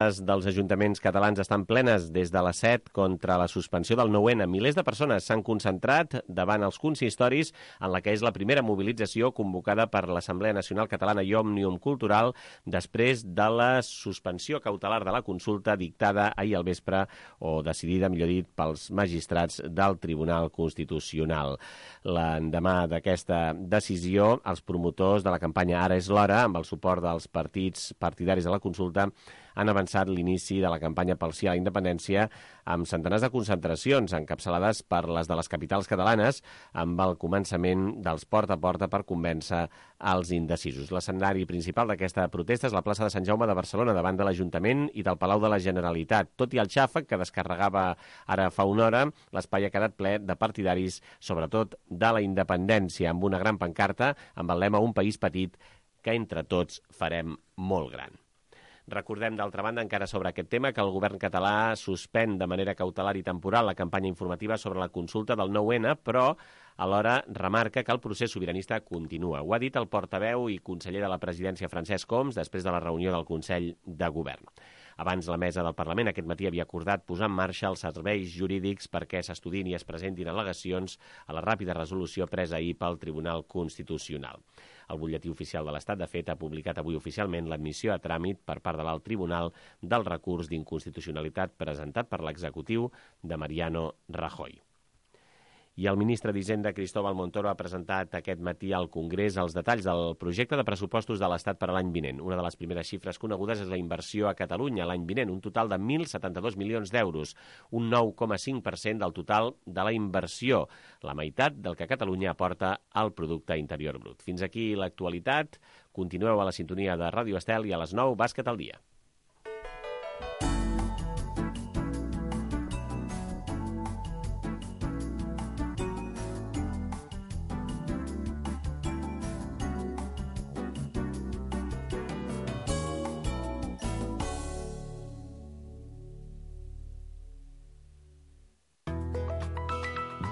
dels ajuntaments catalans estan plenes des de les 7 contra la suspensió del 9-N. Milers de persones s'han concentrat davant els consistoris en la que és la primera mobilització convocada per l'Assemblea Nacional Catalana i Òmnium Cultural després de la suspensió cautelar de la consulta dictada ahir al vespre, o decidida, millor dit, pels magistrats del Tribunal Constitucional. L'endemà d'aquesta decisió, els promotors de la campanya Ara és l'hora, amb el suport dels partits partidaris de la consulta, han avançat l'inici de la campanya pel sí a la independència amb centenars de concentracions encapçalades per les de les capitals catalanes, amb el començament dels porta a porta per convèncer els indecisos. L'escenari principal d'aquesta protesta és la plaça de Sant Jaume de Barcelona, davant de l'Ajuntament i del Palau de la Generalitat. Tot i el xàfec que descarregava ara fa una hora, l'espai ha quedat ple de partidaris, sobretot de la independència, amb una gran pancarta amb el lema "Un país petit que entre tots farem molt gran". Recordem, d'altra banda, encara sobre aquest tema, que el govern català suspèn de manera cautelar i temporal la campanya informativa sobre la consulta del 9-N, però alhora remarca que el procés sobiranista continua. Ho ha dit el portaveu i conseller de la presidència Francesc Homs després de la reunió del Consell de Govern. Abans, la mesa del Parlament aquest matí havia acordat posar en marxa els serveis jurídics perquè s'estudin i es presentin al·legacions a la ràpida resolució presa ahir pel Tribunal Constitucional. El butlletí oficial de l'Estat, de fet, ha publicat avui oficialment l'admissió a tràmit per part de l'alt tribunal del recurs d'inconstitucionalitat presentat per l'executiu de Mariano Rajoy. I el ministre d'Hisenda, Cristóbal Montoro, ha presentat aquest matí al Congrés els detalls del projecte de pressupostos de l'Estat per a l'any vinent. Una de les primeres xifres conegudes és la inversió a Catalunya l'any vinent, un total de 1.072 milions d'euros, un 9,5% del total de la inversió, la meitat del que Catalunya aporta al producte interior brut. Fins aquí l'actualitat. Continueu a la sintonia de Ràdio Estel i a les 9, Bàsquet al dia.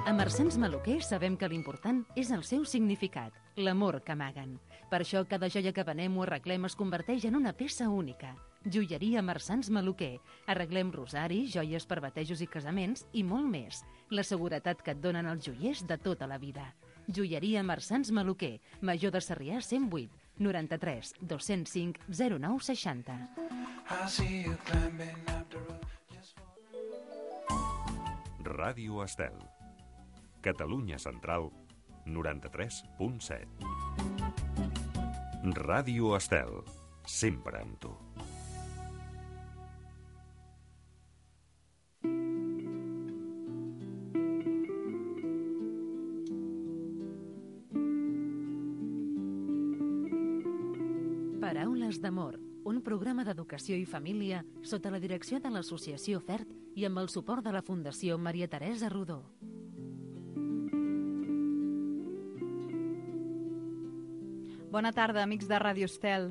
A Marsans Maluquer sabem que l'important és el seu significat, l'amor que amaguen. Per això cada joia que venem o arreglem es converteix en una peça única. Joieria Marsans Maluquer. Arreglem rosaris, joies per batejos i casaments i molt més. La seguretat que et donen els joiers de tota la vida. Joieria Marsans Maluquer. Major de Sarrià 108 93 205 0960. Ràdio Estel. Catalunya Central, 93.7. Ràdio Estel, sempre amb tu. Paraules d'amor, un programa d'educació i família sota la direcció de l'Associació FERT i amb el suport de la Fundació Maria Teresa Rodó. Bona tarda, amics de Ràdio Estel.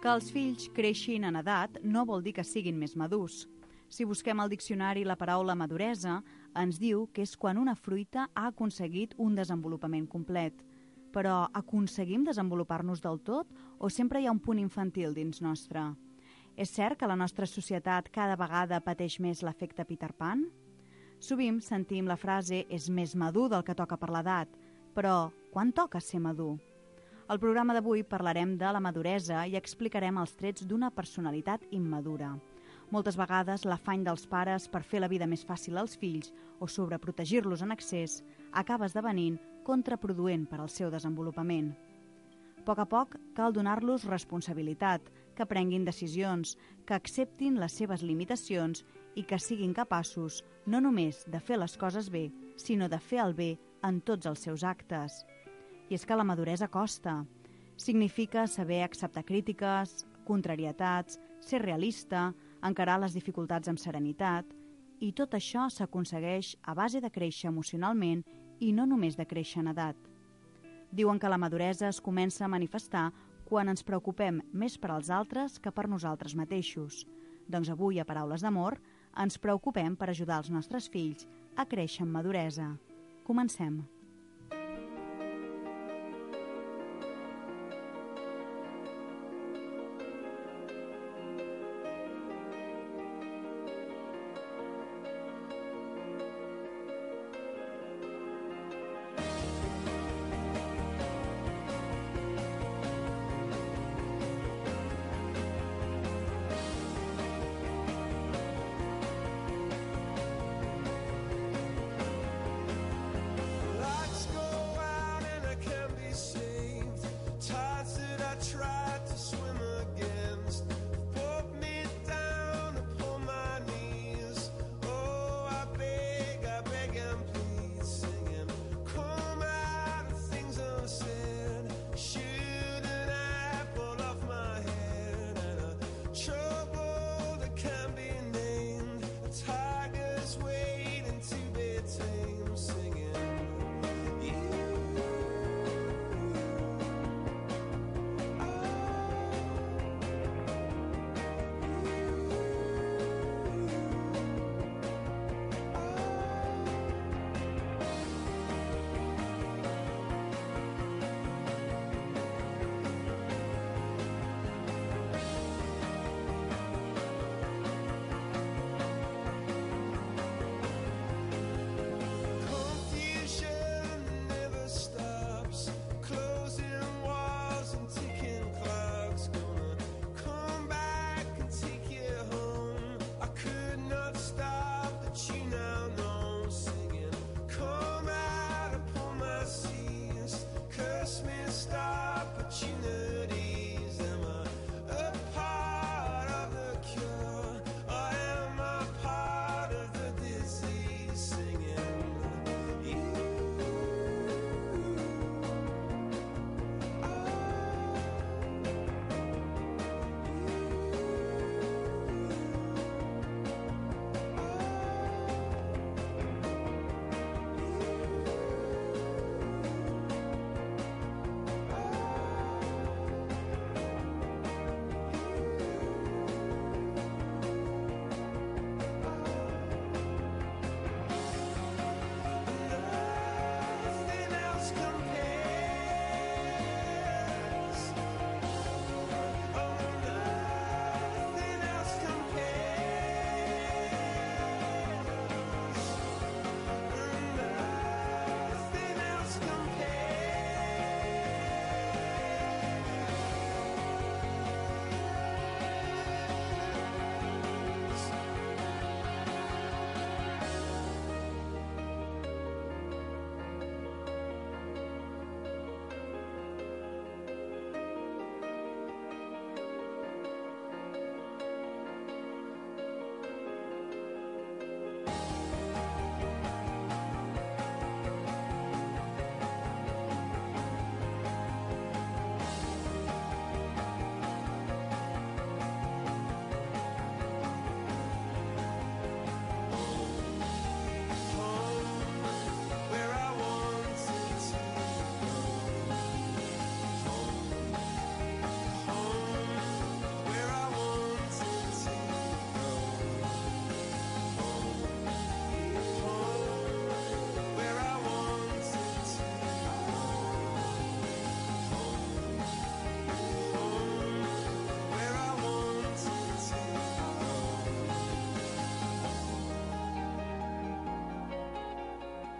Que els fills creixin en edat no vol dir que siguin més madurs. Si busquem al diccionari la paraula maduresa, ens diu que és quan una fruita ha aconseguit un desenvolupament complet. Però aconseguim desenvolupar-nos del tot o sempre hi ha un punt infantil dins nostre? És cert que la nostra societat cada vegada pateix més l'efecte Peter Pan? Sovint sentim la frase «és més madur del que toca per l'edat», però quan toca ser madur? Al programa d'avui parlarem de la maduresa i explicarem els trets d'una personalitat immadura. Moltes vegades l'afany dels pares per fer la vida més fàcil als fills o sobreprotegir-los en excés acaba esdevenint contraproduent per al seu desenvolupament. A poc cal donar-los responsabilitat, que prenguin decisions, que acceptin les seves limitacions i que siguin capaços no només de fer les coses bé, sinó de fer el bé en tots els seus actes. I és que la maduresa costa. Significa saber acceptar crítiques, contrarietats, ser realista, encarar les dificultats amb serenitat, i tot això s'aconsegueix a base de créixer emocionalment i no només de créixer en edat. Diuen que la maduresa es comença a manifestar quan ens preocupem més per als altres que per nosaltres mateixos. Doncs avui, a Paraules d'Amor, ens preocupem per ajudar els nostres fills a créixer amb maduresa. Comencem.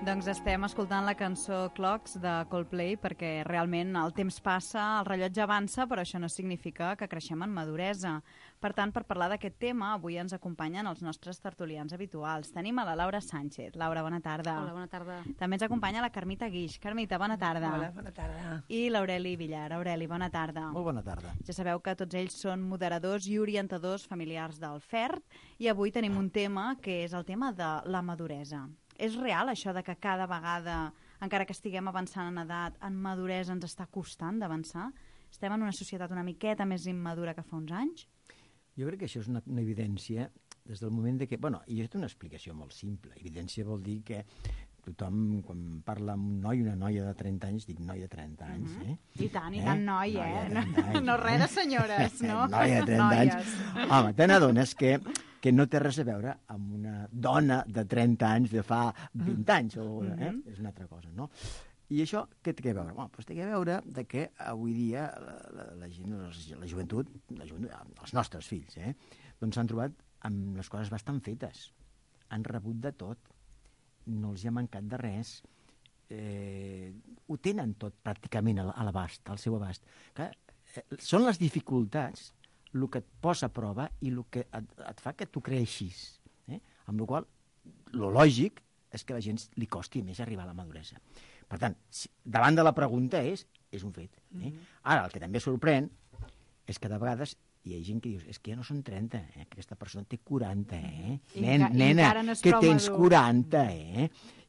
Doncs estem escoltant la cançó Clocks de Coldplay perquè realment el temps passa, el rellotge avança, però això no significa que creixem en maduresa. Per tant, per parlar d'aquest tema, avui ens acompanyen els nostres tertulians habituals. Tenim a la Laura Sánchez. Laura, bona tarda. Hola, bona tarda. També ens acompanya la Carmita Guix. Carmita, bona tarda. Hola, bona tarda. I l'Aureli Villar. Aureli, bona tarda. Molt bona tarda. Ja sabeu que tots ells són moderadors i orientadors familiars del FERT i avui tenim un tema que és el tema de la maduresa. És real això de que cada vegada, encara que estiguem avançant en edat, en maduresa ens està costant d'avançar? Estem en una societat una miqueta més immadura que fa uns anys? Jo crec que això és una evidència des del moment de que... Bueno, i és una explicació molt simple. Evidència vol dir que tothom, quan parla amb un noi, una noia de 30 anys, dic noi de 30 anys, I tant, noi, Anys, no res de senyores, no? Noia de 30 anys. Home, te n'adones que no té res a veure amb una dona de 30 anys de fa 20 anys, o, és una altra cosa, no? I això què té a veure? Bueno, doncs té a veure de que avui dia la gent, la joventut, els nostres fills, doncs s'han trobat amb les coses bastant fetes. Han rebut de tot. No els hi ha mancat de res. Ho tenen tot pràcticament a l'abast, al seu abast. Clar, són les dificultats el que et posa a prova i el que et fa que tu creixis. Amb la qual cosa, lo lògic és que a la gent li costi més arribar a la maduresa. Per tant, davant de la pregunta és un fet. Ara, el que també sorprèn és que de vegades hi ha gent que dius, és que ja no són 30, que aquesta persona té 40, nena, que tens 40,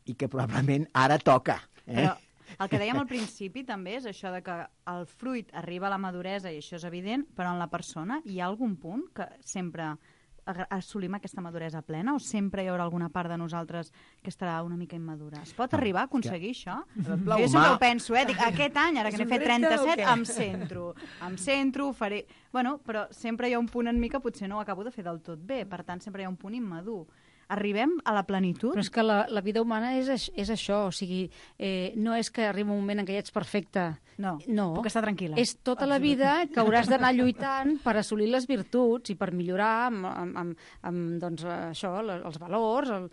i que probablement ara toca. Però el que dèiem al principi també és això de que el fruit arriba a la maduresa, i això és evident, però en la persona hi ha algun punt que sempre assolim aquesta maduresa plena o sempre hi haurà alguna part de nosaltres que estarà una mica immadura? Es pot arribar a aconseguir això? Jo sempre ho penso, dic, aquest any, ara que n'he fet 37, em centro, faré... Bueno, però sempre hi ha un punt en mi que potser no ho acabo de fer del tot bé, per tant sempre hi ha un punt immadur. Arribem a la plenitud? Però és que la vida humana és això, o sigui, no és que arribi un moment en què ja ets perfecte. No, puc estar tranquil·la. És tota la vida que hauràs d'anar lluitant per assolir les virtuts i per millorar amb doncs, això, els valors,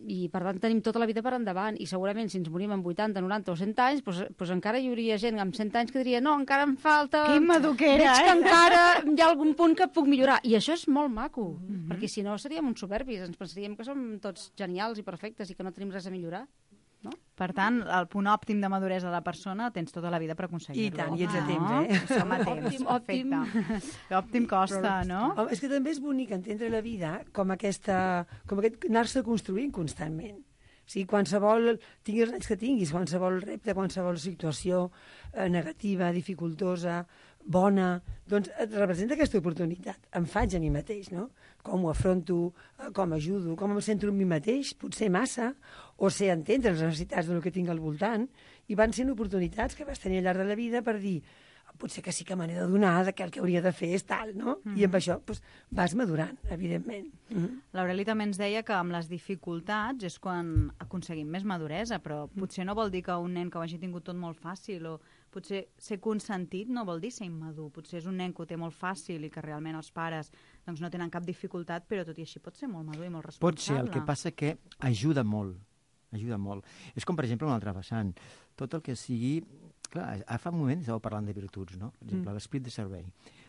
i per tant tenim tota la vida per endavant, i segurament si ens morim amb 80, 90 o 100 anys, doncs encara hi hauria gent amb 100 anys que diria no, encara em falta... Que immadur que era, Veig que encara hi ha algun punt que puc millorar. I això és molt maco, perquè si no seríem uns soberbis, ens pensaríem que som tots genials i perfectes i que no tenim res a millorar. No? Per tant, el punt òptim de maduresa de la persona tens tota la vida per aconseguir-lo. I tant, i ets a temps, Som a temps, perfecte. L'òptim costa, no? Home, és que també és bonic entendre la vida com aquest anar-se construint constantment. O sigui, qualsevol, tinguis els anys que tinguis, qualsevol repte, qualsevol situació negativa, dificultosa, bona, doncs et representa aquesta oportunitat. Em faig a mi mateix, no? Com ho afronto, com ajudo, com em centro en mi mateix, potser massa, o sé entendre les necessitats del que tinc al voltant, i van sent oportunitats que vas tenir al llarg de la vida per dir potser que sí que me n'he de donar, que el que hauria de fer és tal, no? I amb això doncs, vas madurant, evidentment. L'Aureli també ens deia que amb les dificultats és quan aconseguim més maduresa, però potser no vol dir que un nen que ho hagi tingut tot molt fàcil, o potser ser consentit no vol dir ser immadur. Potser és un nen que ho té molt fàcil i que realment els pares doncs, no tenen cap dificultat, però tot i així pot ser molt madur i molt responsable. Pot ser, el que passa que ajuda molt. Ajuda molt. És com, per exemple, un altre vessant. Tot el que sigui... Clar, fa un moment estàveu parlant de virtuts, no? Per exemple, l'esperit de servei.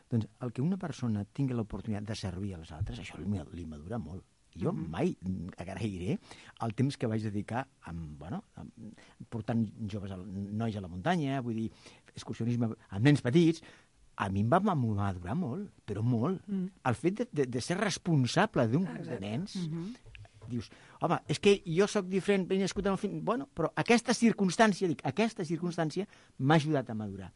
Doncs el que una persona tingui l'oportunitat de servir als altres, això li madura molt. Jo mai agrairé el temps que vaig dedicar portant nois a la muntanya, vull dir, excursionisme amb nens petits. A mi em va madurar molt, però molt. El fet de ser responsable de nens... Dius, home, és que jo sóc diferent, ben nascut en el fill... Bueno, però aquesta circumstància m'ha ajudat a madurar.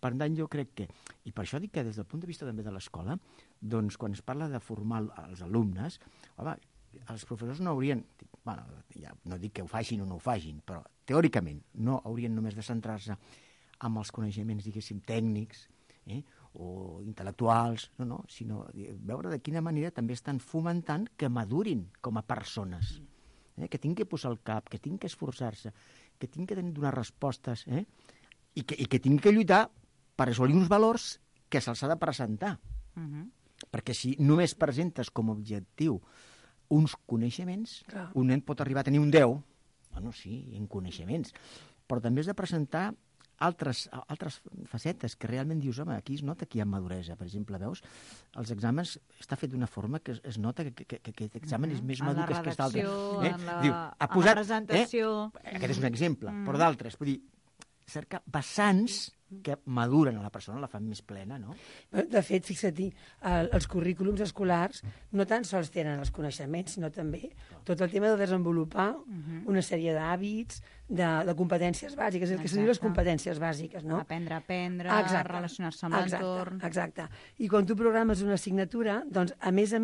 Per tant, jo crec que... I per això dic que des del punt de vista també de l'escola, doncs quan es parla de formar els alumnes, home, els professors no haurien... Bueno, ja no dic que ho facin o no ho facin, però teòricament no haurien només de centrar-se en els coneixements, diguéssim, tècnics, o intel·lectuals, sinó veure de quina manera també estan fomentant que madurin com a persones, que tinguin que posar el cap, que tinguin que esforçar-se, que tinguin que donar respostes, i que tinguin que lluitar per assolir uns valors que se'ls ha de presentar. Perquè si només presentes com a objectiu uns coneixements, un nen pot arribar a tenir un 10, bueno, sí, en coneixements, però també has de presentar altres facetes que realment dius, home, aquí es nota que hi ha maduresa. Per exemple, veus, els exàmens està fet d'una forma que es nota que aquest examen és més madur que aquest altre. En la presentació... Aquest és un exemple, però d'altres. Vull dir, cerca vessants que maduren a la persona, la fan més plena, no? De fet, fixa't-hi, els currículums escolars no tan sols tenen els coneixements, sinó també tot el tema de desenvolupar una sèrie d'hàbits, de competències bàsiques, el que se diu les competències bàsiques, no? Aprendre, relacionar-se amb l'entorn... Exacte. I quan tu programes una assignatura, doncs, a més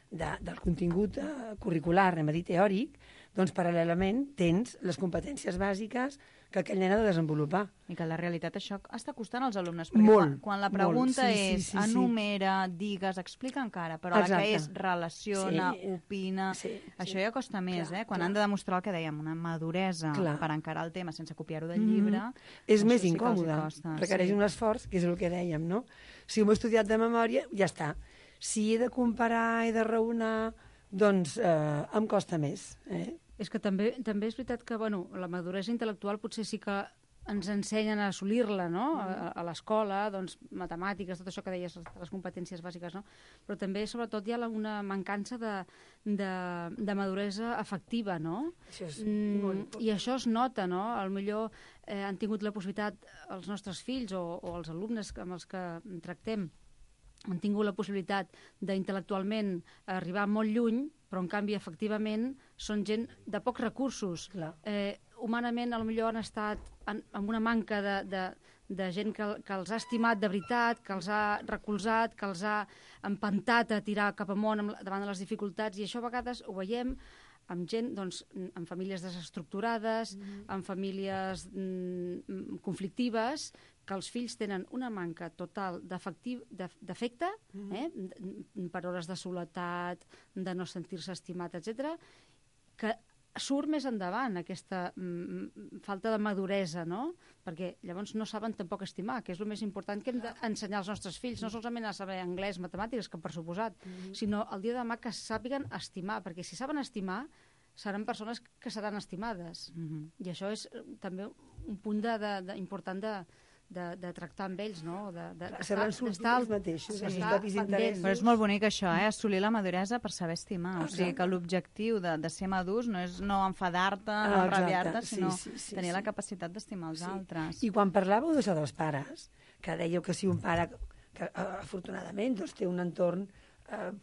del contingut curricular, anem a dir teòric, doncs paral·lelament tens les competències bàsiques que aquell nen ha de desenvolupar. I que la realitat això està costant als alumnes, perquè quan la pregunta és enumera, digues, explica encara, però la que és relaciona, opina, això ja costa més, quan han de demostrar el que dèiem, una maduresa per encarar el tema sense copiar-ho del llibre. És més incòmode, requereix un esforç, que és el que dèiem, no? Si ho he estudiat de memòria, ja està. Si he de comparar, he de raonar, doncs em costa més, És que també és veritat que la maduresa intel·lectual potser sí que ens ensenyen a assolir-la, no? A l'escola, doncs, matemàtiques, tot això que deies, les competències bàsiques, no? Però també, sobretot, hi ha una mancança de maduresa afectiva, no? Això és molt important. I això es nota, no? Potser han tingut la possibilitat, els nostres fills o els alumnes amb els que tractem, han tingut la possibilitat d'intel·lectualment arribar molt lluny, però en canvi, efectivament, són gent de pocs recursos. Humanament, potser han estat amb una manca de gent que els ha estimat de veritat, que els ha recolzat, que els ha empantat a tirar cap amunt davant de les dificultats, i això a vegades ho veiem amb gent, doncs, amb famílies desestructurades, amb famílies conflictives, que els fills tenen una manca total d'afecte, per hores de soledat, de no sentir-se estimat, etc., que surt més endavant aquesta falta de maduresa, no? Perquè llavors no saben tampoc estimar, que és el més important que hem d'ensenyar als nostres fills, no solament a saber anglès, matemàtiques, que per suposat, sinó el dia de demà que sàpiguen estimar, perquè si saben estimar, seran persones que seran estimades. I això és també un punt important de tractar amb ells, no? Saben sortir els mateixos, els propis interessos. Però és molt bonic això, assolir la maduresa per saber estimar. O sigui que l'objectiu de ser madurs no és no enfadar-te, no enrabiar-te, sinó tenir la capacitat d'estimar els altres. I quan parlàveu d'això dels pares, que dèieu que si un pare que afortunadament té un entorn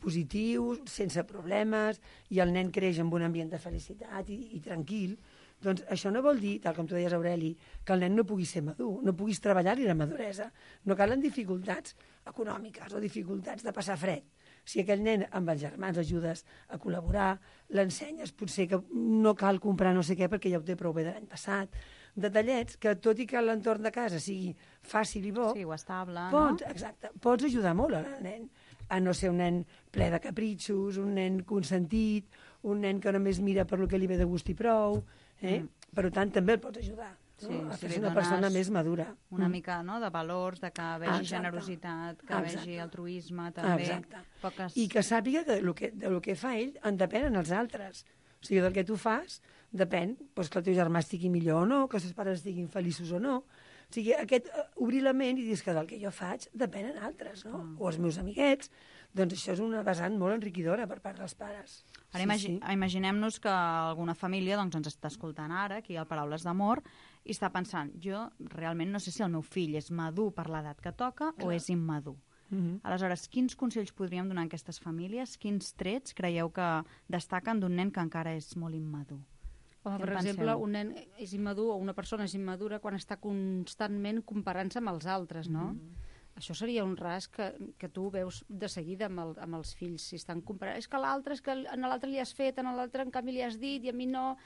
positiu, sense problemes, i el nen creix en un ambient de felicitat i tranquil, doncs això no vol dir, tal com tu deies, Aureli, que el nen no pugui ser madur, no puguis treballar-hi la maduresa. No calen dificultats econòmiques o dificultats de passar fred. Si aquell nen amb els germans ajudes a col·laborar, l'ensenyes potser que no cal comprar no sé què perquè ja ho té prou bé de l'any passat, detallets que, tot i que l'entorn de casa sigui fàcil i bo, sí, o estable, pots ajudar molt al nen a no ser un nen ple de capritxos, un nen consentit, un nen que només mira per lo que li ve de gust i prou, per tant també el pots ajudar a fer una persona més madura. Una mica de valors, de que vegi generositat, que vegi altruisme, també. I que sàpiga que del que fa ell en depenen els altres. O sigui, del que tu fas depèn que el teu germà estigui millor o no, que els seus pares estiguin feliços o no. O sigui, obrir la ment i dir que del que jo faig depenen altres, no? O els meus amiguets. Doncs això és una vessant molt enriquidora per part dels pares. Ara imaginem-nos que alguna família ens està escoltant ara, aquí al Paraules d'Amor, i està pensant, jo realment no sé si el meu fill és madur per l'edat que toca o és immadur. Aleshores, quins consells podríem donar a aquestes famílies? Quins trets creieu que destaquen d'un nen que encara és molt immadur? Per exemple, un nen és immadur o una persona és immadura quan està constantment comparant-se amb els altres, no? Això seria un ras que tu veus de seguida amb els fills. Si estan comparant, és que l'altre, és que a l'altre li has fet, a l'altre en canvi li has dit i a mi no...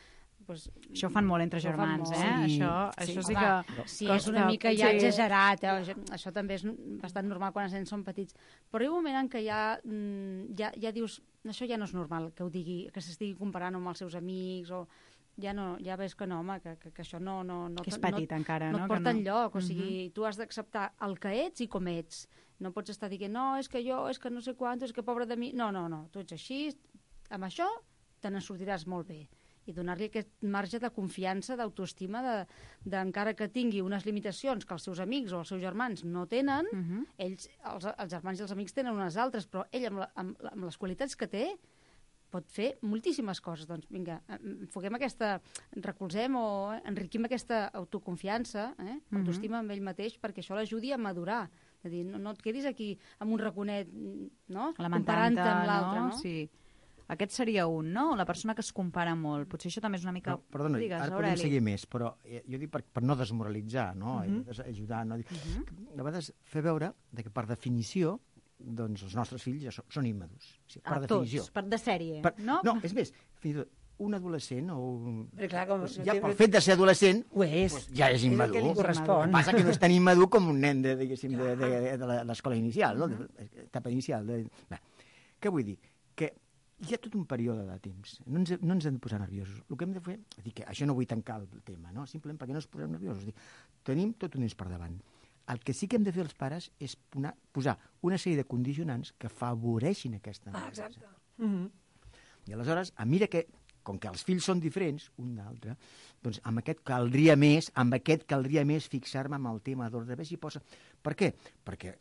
Això ho fan molt entre germans, Això sí que... Sí, és una mica ja exagerat, això també és bastant normal quan els nens són petits. Però hi ha un moment en què ja dius, això ja no és normal que ho digui, que s'estigui comparant amb els seus amics o... Ja ves que no, home, que això no... Que és petit encara, no? No et porta enlloc, o sigui, tu has d'acceptar el que ets i com ets. No pots estar dient, no, és que jo, és que no sé quant, és que pobre de mi... No, tu ets així, amb això te n'en sortiràs molt bé. i donar-li aquest marge de confiança, d'autoestima, encara que tingui unes limitacions que els seus amics o els seus germans no tenen, ells, els germans i els amics tenen unes altres, però ell, amb les qualitats que té, pot fer moltíssimes coses. Doncs vinga, recolzem o enriquim aquesta autoconfiança, autoestima amb ell mateix, perquè això l'ajudi a madurar. És a dir, no et quedis aquí amb un raconet, no? Comparant-te amb l'altre, no? Sí. Aquest seria un, no? La persona que es compara molt. Potser això també és una mica... No, perdona, ara podem seguir més, però jo dic per no desmoralitzar, no? Ajudar, no? A vegades fer veure que per definició doncs els nostres fills ja són immadurs. O sigui, per definició. Tots, de sèrie, no? No, és més, fins i tot un adolescent o ja pel fet de ser adolescent és. Ja és immadur. És el que li correspon. El que passa que no és tan immadur com un nen de l'escola inicial, no? Etapa inicial. Què vull dir? Que hi ha tot un període de temps. No ens hem de posar nerviosos. El que hem de fer... que això no vull tancar el tema, no? Simplement perquè no ens posem nerviosos. Tenim tot un temps per davant. El que sí que hem de fer els pares és posar una sèrie de condicionants que afavoreixin aquesta nerviosa. Exacte. I aleshores, a mesura que, com que els fills són diferents, un d'altre, doncs amb aquest caldria més fixar-me en el tema d'ordre. Si posa... Per què? Perquè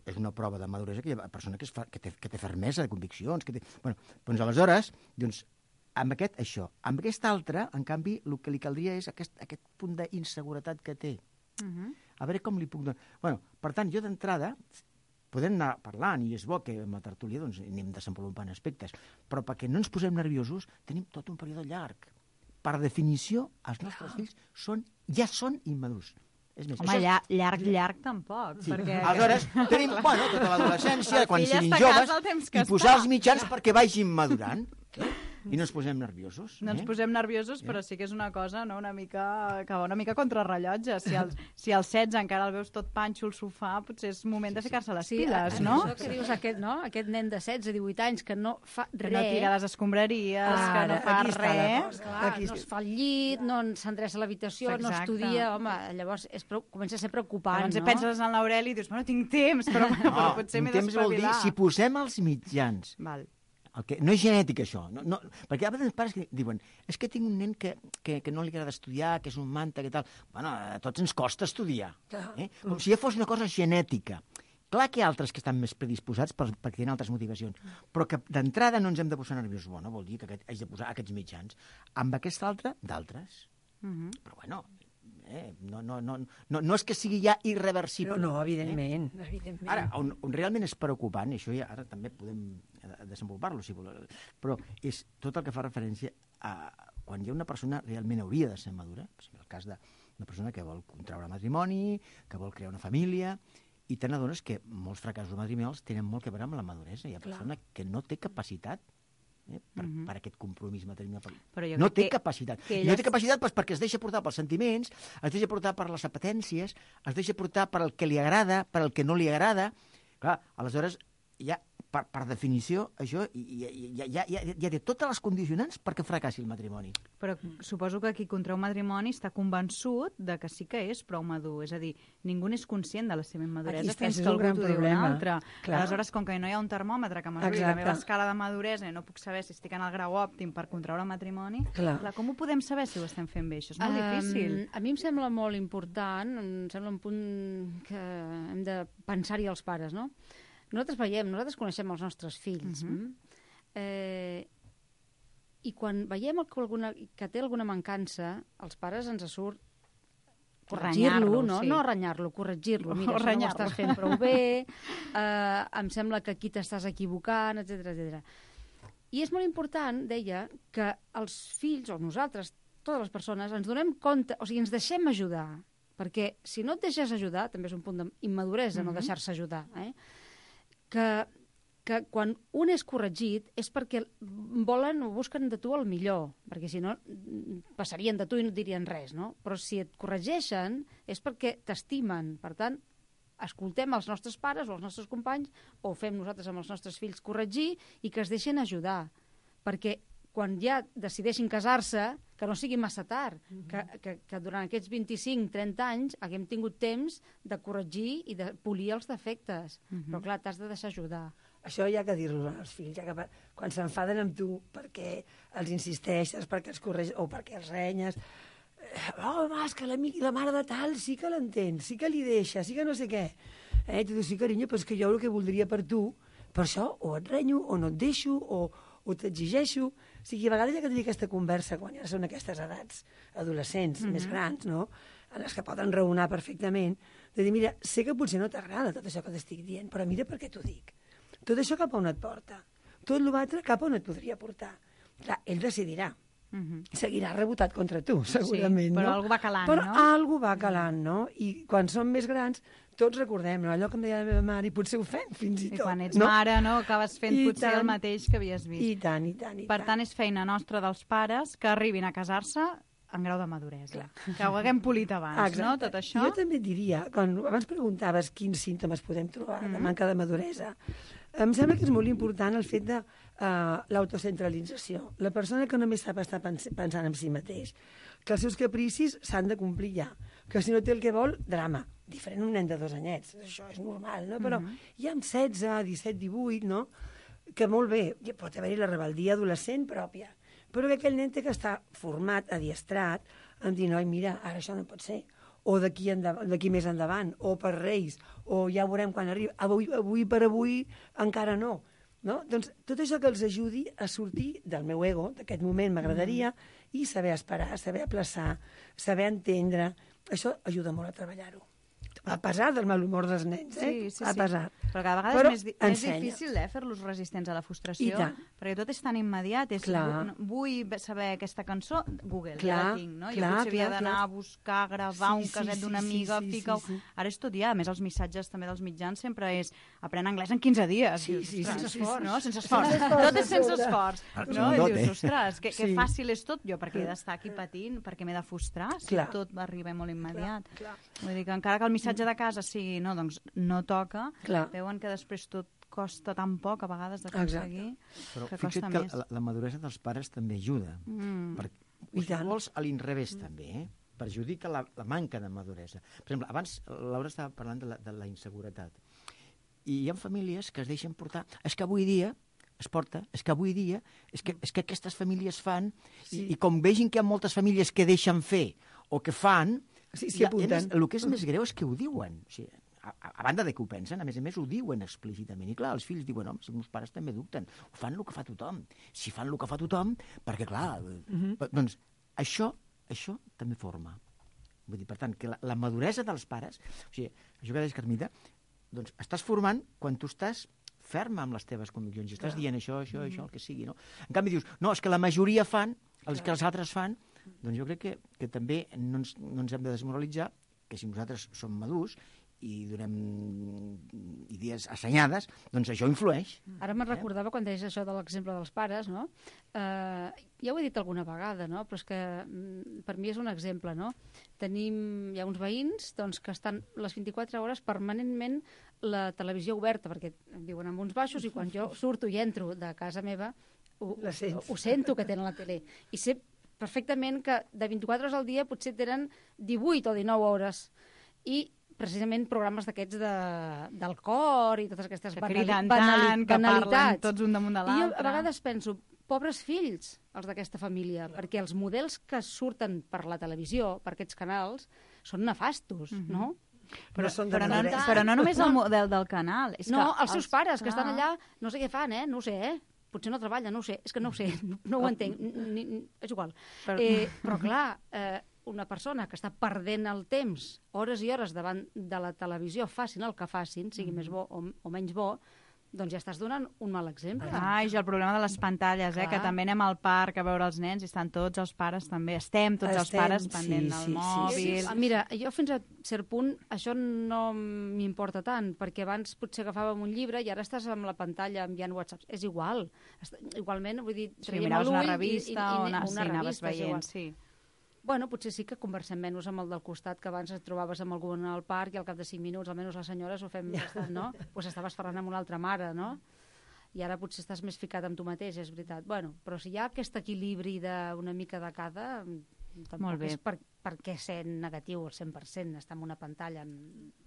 és una prova de maduresa que hi ha persona que té fermesa de conviccions. Bueno, doncs aleshores, amb amb aquest altre, en canvi, el que li caldria és aquest punt d'inseguretat que té. A veure com li puc donar... Bueno, per tant, jo d'entrada podem anar parlant, i és bo que amb la tertúlia anem desenvolupant aspectes, però perquè no ens posem nerviosos tenim tot un període llarg. Per definició, els nostres fills ja són immadurs. És més, home, llarg tampoc. Sí. Perquè... Aleshores, tenim tota l'adolescència, quan siguin joves, i posar els mitjans perquè vagin madurant. I no ens posem nerviosos. No ens posem nerviosos, però sí que és una cosa, no? una mica contrarrellotge. Si als 16 encara el veus tot panxo al sofà, potser és moment de ficar-se les piles, no? Això que dius, aquest nen de 16, 18 anys que no fa res... Que no tira les escombraries, que no fa res... No es fa el llit, no s'endreça a l'habitació, no estudia... Home, llavors comença a ser preocupant, llavors no? Penses en l'Aureli i dius, bueno, tinc temps, però potser m'he d'espavilar. Temps vol dir, si posem els mitjans... No és genètic, això. Perquè a vegades pares que diuen és que tinc un nen que no li agrada estudiar, que és un manta, que tal... Bueno, a tots ens costa estudiar. Com si ja fos una cosa genètica. Clar que hi ha altres que estan més predisposats perquè tenen altres motivacions, però que d'entrada no ens hem de posar nerviosos. Bueno, vol dir que haig de posar aquests mitjans. Amb aquest altre, d'altres. Però bueno... No és que sigui ja irreversible. No, evidentment. Ara, on realment és preocupant, i això ja ara també podem desenvolupar-lo, si voleu, però és tot el que fa referència a quan hi ha una persona realment hauria de ser madura, per exemple, el cas d'una persona que vol contraure matrimoni, que vol crear una família, i te n'adones que molts fracassos matrimonials tenen molt a veure amb la maduresa. Hi ha persona que no té capacitat per aquest compromís matrimonial. No té capacitat. No té capacitat perquè es deixa portar pels sentiments, es deixa portar per les apetències, es deixa portar per el que li agrada, per el que no li agrada. Clar, aleshores, ja, per definició, això ja té totes les condicionants perquè fracassi el matrimoni. Però suposo que qui contrau matrimoni està convençut de que sí que és prou madur. És a dir, ningú n'és conscient de la seva immaduresa fins que algú t'ho diu un altre. Aleshores, com que no hi ha un termòmetre que mesuri la meva escala de maduresa i no puc saber si estic en el grau òptim per contraure matrimoni, com ho podem saber si ho estem fent bé? Això és molt difícil. A mi em sembla molt important, em sembla un punt que hem de pensar-hi els pares, no? Nosaltres coneixem els nostres fills. I quan veiem que té alguna mancança, els pares ens surt corregir-lo, no renyar-lo, corregir-lo. Mira, això no ho estàs fent prou bé, em sembla que aquí t'estàs equivocant, etc. I és molt important, deia, que els fills, o nosaltres, totes les persones, ens donem compte, o sigui, ens deixem ajudar, perquè si no et deixes ajudar, també és un punt d'immaduresa no deixar-se ajudar, que quan un és corregit és perquè volen o busquen de tu el millor, perquè si no passarien de tu i no et dirien res, no? Però si et corregeixen és perquè t'estimen. Per tant, escoltem els nostres pares o els nostres companys, o fem nosaltres amb els nostres fills corregir i que es deixen ajudar. Perquè quan ja decideixin casar-se, que no sigui massa tard, que durant aquests 25-30 anys haguem tingut temps de corregir i de polir els defectes. Però clar, t'has de deixar ajudar. Això hi ha que dir-lo als fills, quan s'enfaden amb tu perquè els insisteixes, perquè els corregeixes o perquè els renyes, home, és que l'amic i la mare de tal sí que l'entén, sí que li deixa, sí que no sé què. I tu dius, sí, carinyo, però és que jo el que voldria per tu, per això o et renyo, o no et deixo, o t'exigeixo. O sigui, a vegades hi ha que tenir aquesta conversa quan ja són aquestes edats adolescents, més grans, no?, en les que poden raonar perfectament, de dir, mira, sé que potser no t'agrada tot això que t'estic dient, però mira per què t'ho dic. Tot això cap a on et porta? Tot l'altre cap a on et podria portar? Clar, ell decidirà. Seguirà rebotat contra tu, segurament, però no? algú va calant, però no? algú va calant, no? I quan som més grans, tots recordem, no? Allò que em deia la meva mare, i potser ho fem fins i tot. I quan ets mare, no?, acabes fent potser el mateix que havies vist. I tant, i tant, i tant. Per tant, és feina nostra dels pares que arribin a casar-se en grau de maduresa. Que ho haguem polit abans, no?, tot això. Jo també et diria, quan abans preguntaves quins símptomes podem trobar de manca de maduresa, em sembla que és molt important el fet de l'autocentralització. La persona que només sap estar pensant en si mateix, que els seus capricis s'han de complir ja, que si no té el que vol, drama. Diferent un nen de 2 anyets, això és normal, no? Però ja amb 16, 17, 18, no?, que molt bé, pot haver-hi la rebeldia adolescent pròpia, però que aquell nen té que estar format, adiestrat, en dir, noi, mira, ara això no pot ser, o d'aquí més endavant, o per Reis, o ja veurem quan arriba, avui per avui encara no. Doncs tot això que els ajudi a sortir del meu ego, d'aquest moment m'agradaria, i saber esperar, saber aplaçar, saber entendre, això ajuda molt a treballar-ho. A pesar del mal humor dels nens, a pesar. Però cada vegada és més difícil fer-los resistents a la frustració, perquè tot és tan immediat. Vull saber aquesta cançó, Google, ja la tinc, no? Jo potser havia d'anar a buscar, gravar un caset d'una amiga, fica-ho... Ara és tot ja, a més els missatges també dels mitjans sempre és aprèn anglès en 15 dies. Sense esforç. Sense esforç. Tot és sense esforç. I dius, ostres, que fàcil és tot jo, perquè he d'estar aquí patint, perquè m'he de frustrar, si tot va arribar molt immediat. Vull dir que encara que el missatge de casa sigui, no, doncs no toca, veuen que després tot costa tan poc a vegades d'aconseguir, que costa més. Però la maduresa dels pares també ajuda. I llavors a l'inrevés també, perjudica la manca de maduresa. Per exemple, abans Laura estava parlant de la inseguretat. I hi ha famílies que es deixen portar. És que avui dia és que aquestes famílies fan, i com vegin que hi ha moltes famílies que deixen fer o que fan, el que és més greu és que ho diuen. O sigui, a banda de que ho pensen, a més ho diuen explícitament. I clar, els fills diuen, home, els meus pares també dubten. Ho fan el que fa tothom. Si fan el que fa tothom, perquè clar, doncs això també forma. Vull dir, per tant, que la maduresa dels pares, o sigui, això que deies, Carmita, doncs estàs formant quan tu estàs ferma amb les teves conviccions i estàs dient això, el que sigui, no? En canvi dius, no, és que la majoria fan, els que els altres fan, doncs jo crec que també no ens hem de desmoralitzar, que si nosaltres som madurs i donem idees assenyades, doncs això influeix. Ara me'n recordava quan deies això de l'exemple dels pares, no? Ja ho he dit alguna vegada, no? Però és que per mi és un exemple, no? Hi ha uns veïns doncs, que estan les 24 hores permanentment la televisió oberta, perquè viuen en uns baixos i quan jo surto i entro de casa meva ho sento que tenen la tele. I sé perfectament que de 24 hores al dia potser tenen 18 o 19 hores. I precisament programes d'aquests del cor i totes aquestes banalitats. Que parlen tots un damunt de l'altre. I jo a vegades penso, pobres fills, els d'aquesta família, perquè els models que surten per la televisió, per aquests canals, són nefastos, no? Però no només el model del canal. No, els seus pares, que estan allà, no sé què fan, no ho sé, potser no treballen, no ho sé, és que no ho sé, no ho entenc, és igual. Però clar, una persona que està perdent el temps, hores i hores davant de la televisió, facin el que facin, sigui més bo o menys bo, doncs ja estàs donant un mal exemple. I el problema de les pantalles, que també anem al parc a veure els nens i estan tots els pares també, estem tots els pares pendent del mòbil. Mira, jo fins a cert punt això no m'importa tant, perquè abans potser agafàvem un llibre i ara estàs amb la pantalla enviant whatsapps. És igual. Igualment, vull dir, traiem l'ull una revista o anaves veient, sí. Bueno, potser sí que conversem menys amb el del costat, que abans et trobaves amb algú al parc i al cap de 5 minuts, almenys les senyores ho fem bastant, no? Pues estaves parlant amb una altra mare, no? I ara potser estàs més ficat amb tu mateix, és veritat. Bueno, però si hi ha aquest equilibri d'una mica de cada, Tampoc Molt bé. és per què ser negatiu al 100%, estar en una pantalla...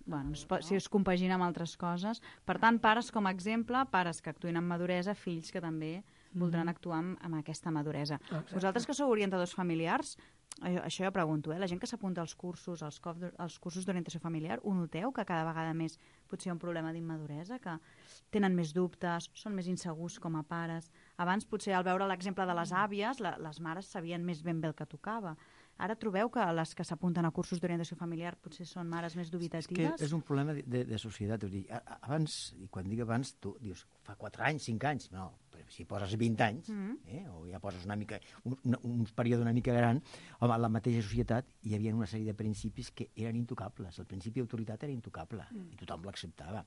Bueno, si es compagina amb altres coses. Per tant, pares com a exemple, pares que actuïn amb maduresa, fills que també voldran actuar amb aquesta maduresa. Exacte. Vosaltres que sou orientadors familiars, això jo pregunto, la gent que s'apunta als cursos, als cursos d'orientació familiar, ho noteu que cada vegada més potser hi ha un problema d'immaduresa, que tenen més dubtes, són més insegurs com a pares. Abans, potser, al veure l'exemple de les àvies, les mares sabien més ben bé el que tocava. Ara trobeu que les que s'apunten a cursos d'orientació familiar potser són mares més dubitatives? És que és un problema de societat. Abans, i quan dic abans, tu dius, fa 4 anys, 5 anys, no, però si poses 20 anys, o ja poses una mica, un període una mica gran, home, a la mateixa societat hi havia una sèrie de principis que eren intocables. El principi d'autoritat era intocable, i tothom l'acceptava.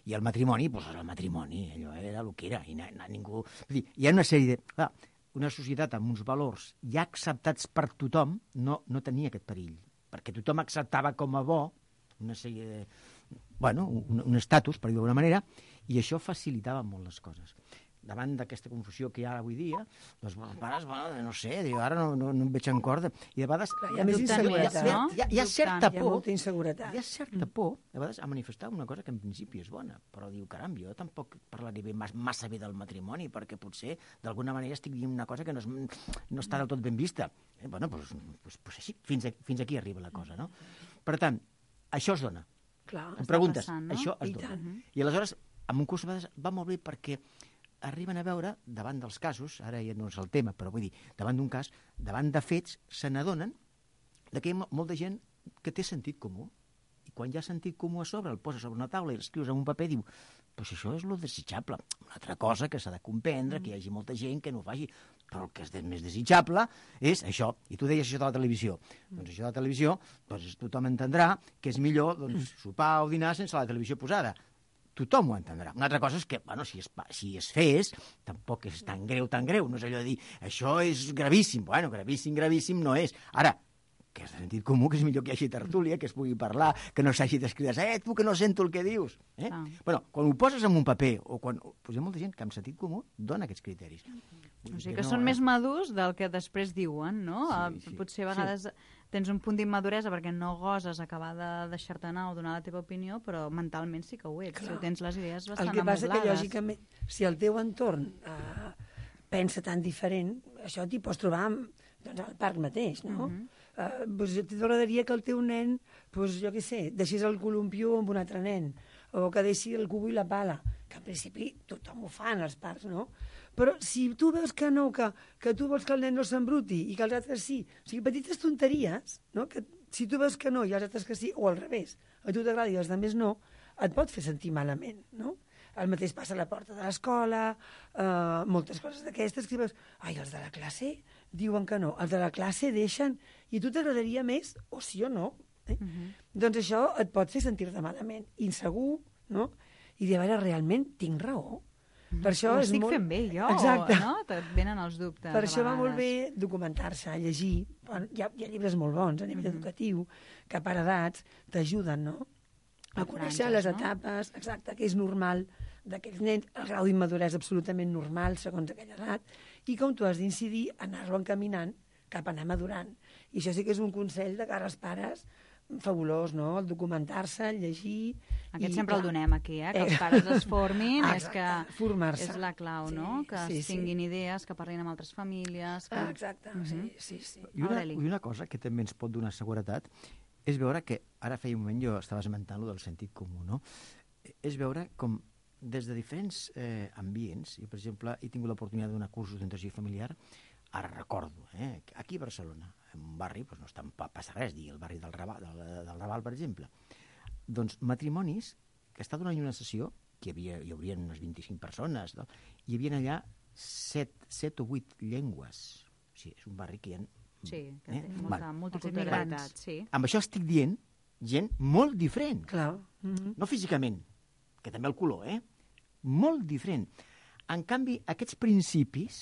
I el matrimoni, doncs el matrimoni, allò era el que era, i ningú... Vull dir, hi ha una sèrie de... Clar, una societat amb uns valors ja acceptats per tothom no tenia aquest perill, perquè tothom acceptava com a bo una sèrie de... Bueno, un estatus, per dir d'alguna manera, i això facilitava molt les coses. Davant d'aquesta confusió que hi ha avui dia, doncs, els pares, no sé, diu, ara no em veig en corda. I de vegades... Hi ha més inseguretat, no? Hi ha certa por. Hi ha molta inseguretat. Hi ha certa por, a vegades, a manifestar una cosa que en principi és bona, però diu, caram, jo tampoc parlaré massa bé del matrimoni, perquè potser, d'alguna manera, estic dient una cosa que no està del tot ben vista. Bueno, doncs així, fins aquí arriba la cosa, no? Per tant, això es dona. Clar, em preguntes, passant, no? això es dona. I aleshores, en un curs a vegades va molt bé perquè arriben a veure, davant dels casos, ara ja no és el tema, però vull dir, davant d'un cas, davant de fets, se n'adonen que hi ha molta gent que té sentit comú. I quan hi ha sentit comú a sobre, el poses sobre una taula i l'escrius en un paper, diu, pues això és lo desitjable. Una altra cosa que s'ha de comprendre, que hi hagi molta gent que no ho faci, però el que és més desitjable és això. I tu deies això de la televisió. Doncs això de la televisió, doncs tothom entendrà que és millor sopar o dinar sense la televisió posada. Tothom ho entendrà. Una altra cosa és que, bueno, si es fes, tampoc és tan greu. No és allò de dir, això és gravíssim. Bueno, gravíssim no és. Ara, que és de sentit comú, que és millor que hi hagi tertúlia, que es pugui parlar, que no s'hagi d'escriure, tu que no sento el que dius. Bueno, quan ho poses en un paper, o quan... Pues hi ha molta gent que amb sentit comú dona aquests criteris. O sigui que són més madurs del que després diuen, no? Sí. Potser a vegades tens un punt d'immaduresa perquè no goses acabar de deixar-te anar o donar la teva opinió, però mentalment sí que ho ets. Si tens les idees bastant amoblades. El que passa que, lògicament, si el teu entorn pensa tan diferent, això t'hi pots trobar al parc mateix, no? Doncs t'agradaria que el teu nen, jo què sé, deixés el columpió amb un altre nen, o que deixi el cubo i la pala, que en principi tothom ho fa en els parcs, no? Però si tu veus que no, que tu vols que el nen no s'embruti i que els altres sí, o sigui, petites tonteries, no? Que si tu veus que no i els altres que sí, o al revés, a tu t'agrada i els altres no, et pot fer sentir malament, no? El mateix passa a la porta de l'escola, moltes coses d'aquestes que veus, ai, els de la classe diuen que no, els de la classe deixen, i tu t'agradaria més, o sí o no. Doncs això et pot fer sentir-te malament, insegur, no? I dir, a veure, realment tinc raó. Per això ho és estic molt... fent bé jo, Exacte. no? Te'n venen els dubtes. Per això va molt bé documentar-se, llegir. Hi ha llibres molt bons a nivell educatiu, que per edats t'ajuden, no? A conèixer les etapes, exacte, que és normal d'aquells nens, el grau d'immaduresa absolutament normal segons aquella edat, i com tu has d'incidir, anar-lo encaminant cap a anar madurant. I això sí que és un consell de cara als pares fabulós, no? El documentar-se, el llegir... Aquest sempre el donem aquí, que els pares es formin, és que formar-se. és la clau, no? Que tinguin idees, que parlin amb altres famílies... Exacte, sí. I una cosa que també ens pot donar seguretat és veure que, ara feia un moment jo estava esmentant-lo del sentit comú, no? És veure com des de diferents ambients, jo per exemple he tingut l'oportunitat de donar cursos d'orientació familiar, ara recordo, aquí a Barcelona, en un barri, doncs no està, passa res, dir el barri del Raval, per exemple, doncs matrimonis que està donant una sessió, que hi haurien unes 25 persones, no? Hi havia allà 7 o 8 llengües, o sigui, és un barri que hi ha... Sí, que té molta multiculturalitat, sí. Amb això estic dient gent molt diferent. Clar. No físicament, que també el color, molt diferent. En canvi, aquests principis,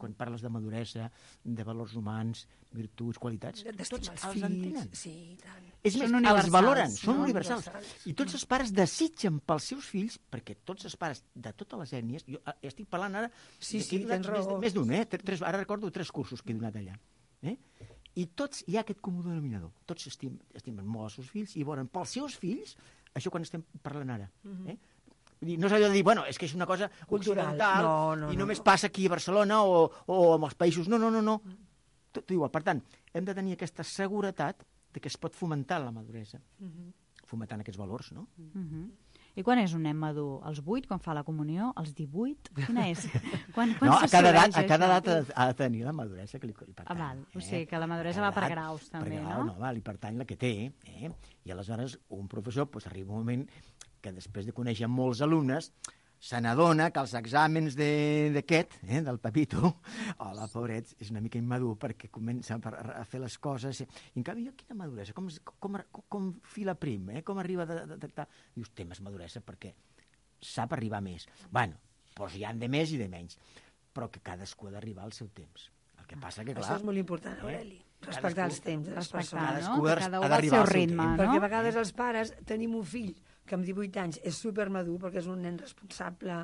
quan parles de maduresa, de valors humans, virtuts, qualitats, tots els entenen. Sí, tant. És més, els valoren, són universals. I tots els pares desitgen pels seus fills, perquè tots els pares de totes les ètnies, jo estic parlant ara, sí, tens raó. Més d'un, ara recordo 3 cursos que he donat allà. I tots hi ha aquest comú denominador. Tots estimen molt els seus fills i volen pels seus fills això quan estem parlant ara. No és allò de dir, bueno, és que és una cosa occidental i només passa aquí a Barcelona o en els països. No. Tot igual. Per tant, hem de tenir aquesta seguretat de que es pot fomentar la maduresa, fomentant aquests valors, no? I quan és un nen madur? Als 8, quan fa la comunió? Als 18? Quina és? Quan a cada edat ha de tenir la maduresa que li pertany. Val. O sigui, que la maduresa va per graus, també, no? No, li pertany la que té. I aleshores un professor arriba un moment que després de conèixer molts alumnes se n'adona que els exàmens d'aquest, del Pepito, hola, pobret, és una mica immadur perquè comença a fer les coses. I en canvi, quina maduresa, com fila prim, com arriba a detectar. Dius, té més maduresa perquè sap arribar més. Bueno, doncs hi ha de més i de menys, però que cadascú ha d'arribar al seu temps. El que passa que, clar... Això és molt important, Aureli. Respectar els temps de les persones. Cadascú ha d'arribar al seu ritme. Perquè a vegades els pares tenim un fill que amb 18 anys és supermadur perquè és un nen responsable,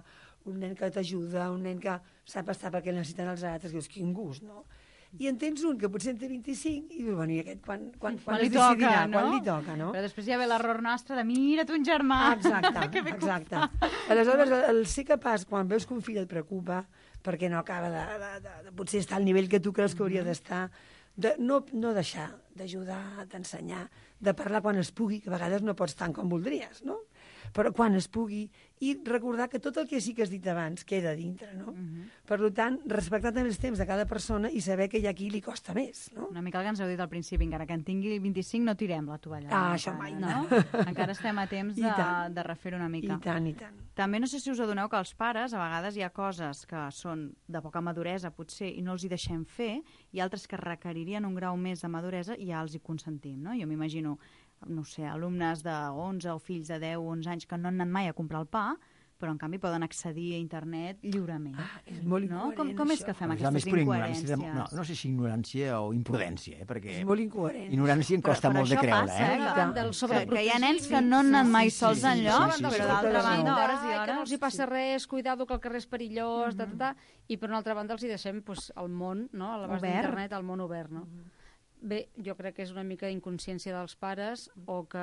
un nen que t'ajuda, un nen que sap estar perquè necessiten els altres, dius, quin gust, no? I en tens un que potser en té 25 i dius, bueno, i aquest quan li toca, no? Quan li toca, no? Però després ja ve l'error nostre de mira't un germà. Exacte. Aleshores, el ser capaç, quan veus que un fill et preocupa perquè no acaba de potser estar al nivell que tu creus que hauria d'estar, de no deixar d'ajudar, d'ensenyar, de parlar quan es pugui, que a vegades no pots tant com voldries, no? Però quan es pugui, i recordar que tot el que sí que has dit abans queda dintre, no? Per tant, respectar també els temps de cada persona i saber que hi ha qui li costa més, no? Una mica el que ens heu dit al principi, encara que en tingui 25 no tirem la tovalla. Això mai, no? Encara estem a temps de refer una mica. I tant. També no sé si us adoneu que els pares, a vegades hi ha coses que són de poca maduresa, potser, i no els hi deixem fer, i altres que requeririen un grau més de maduresa i ja els hi consentim, no? Jo m'imagino, no sé, alumnes de 11 o fills de 10 o 11 anys que no han anat mai a comprar el pa, però en canvi poden accedir a internet lliurement. És molt incoherent, com és que fem aquestes incoherències? No sé si ignorància o imprudència, perquè... És molt incoherent. Ignorància em costa molt de creure. Que hi ha nens que no han anat mai sols enlloc, però d'altra banda, hores i hores... Que no els hi passa res, cuidado que el carrer és perillós, i per una altra banda els hi deixem el món, a l'abast d'internet, el món obert, no? Bé, jo crec que és una mica inconsciència dels pares o que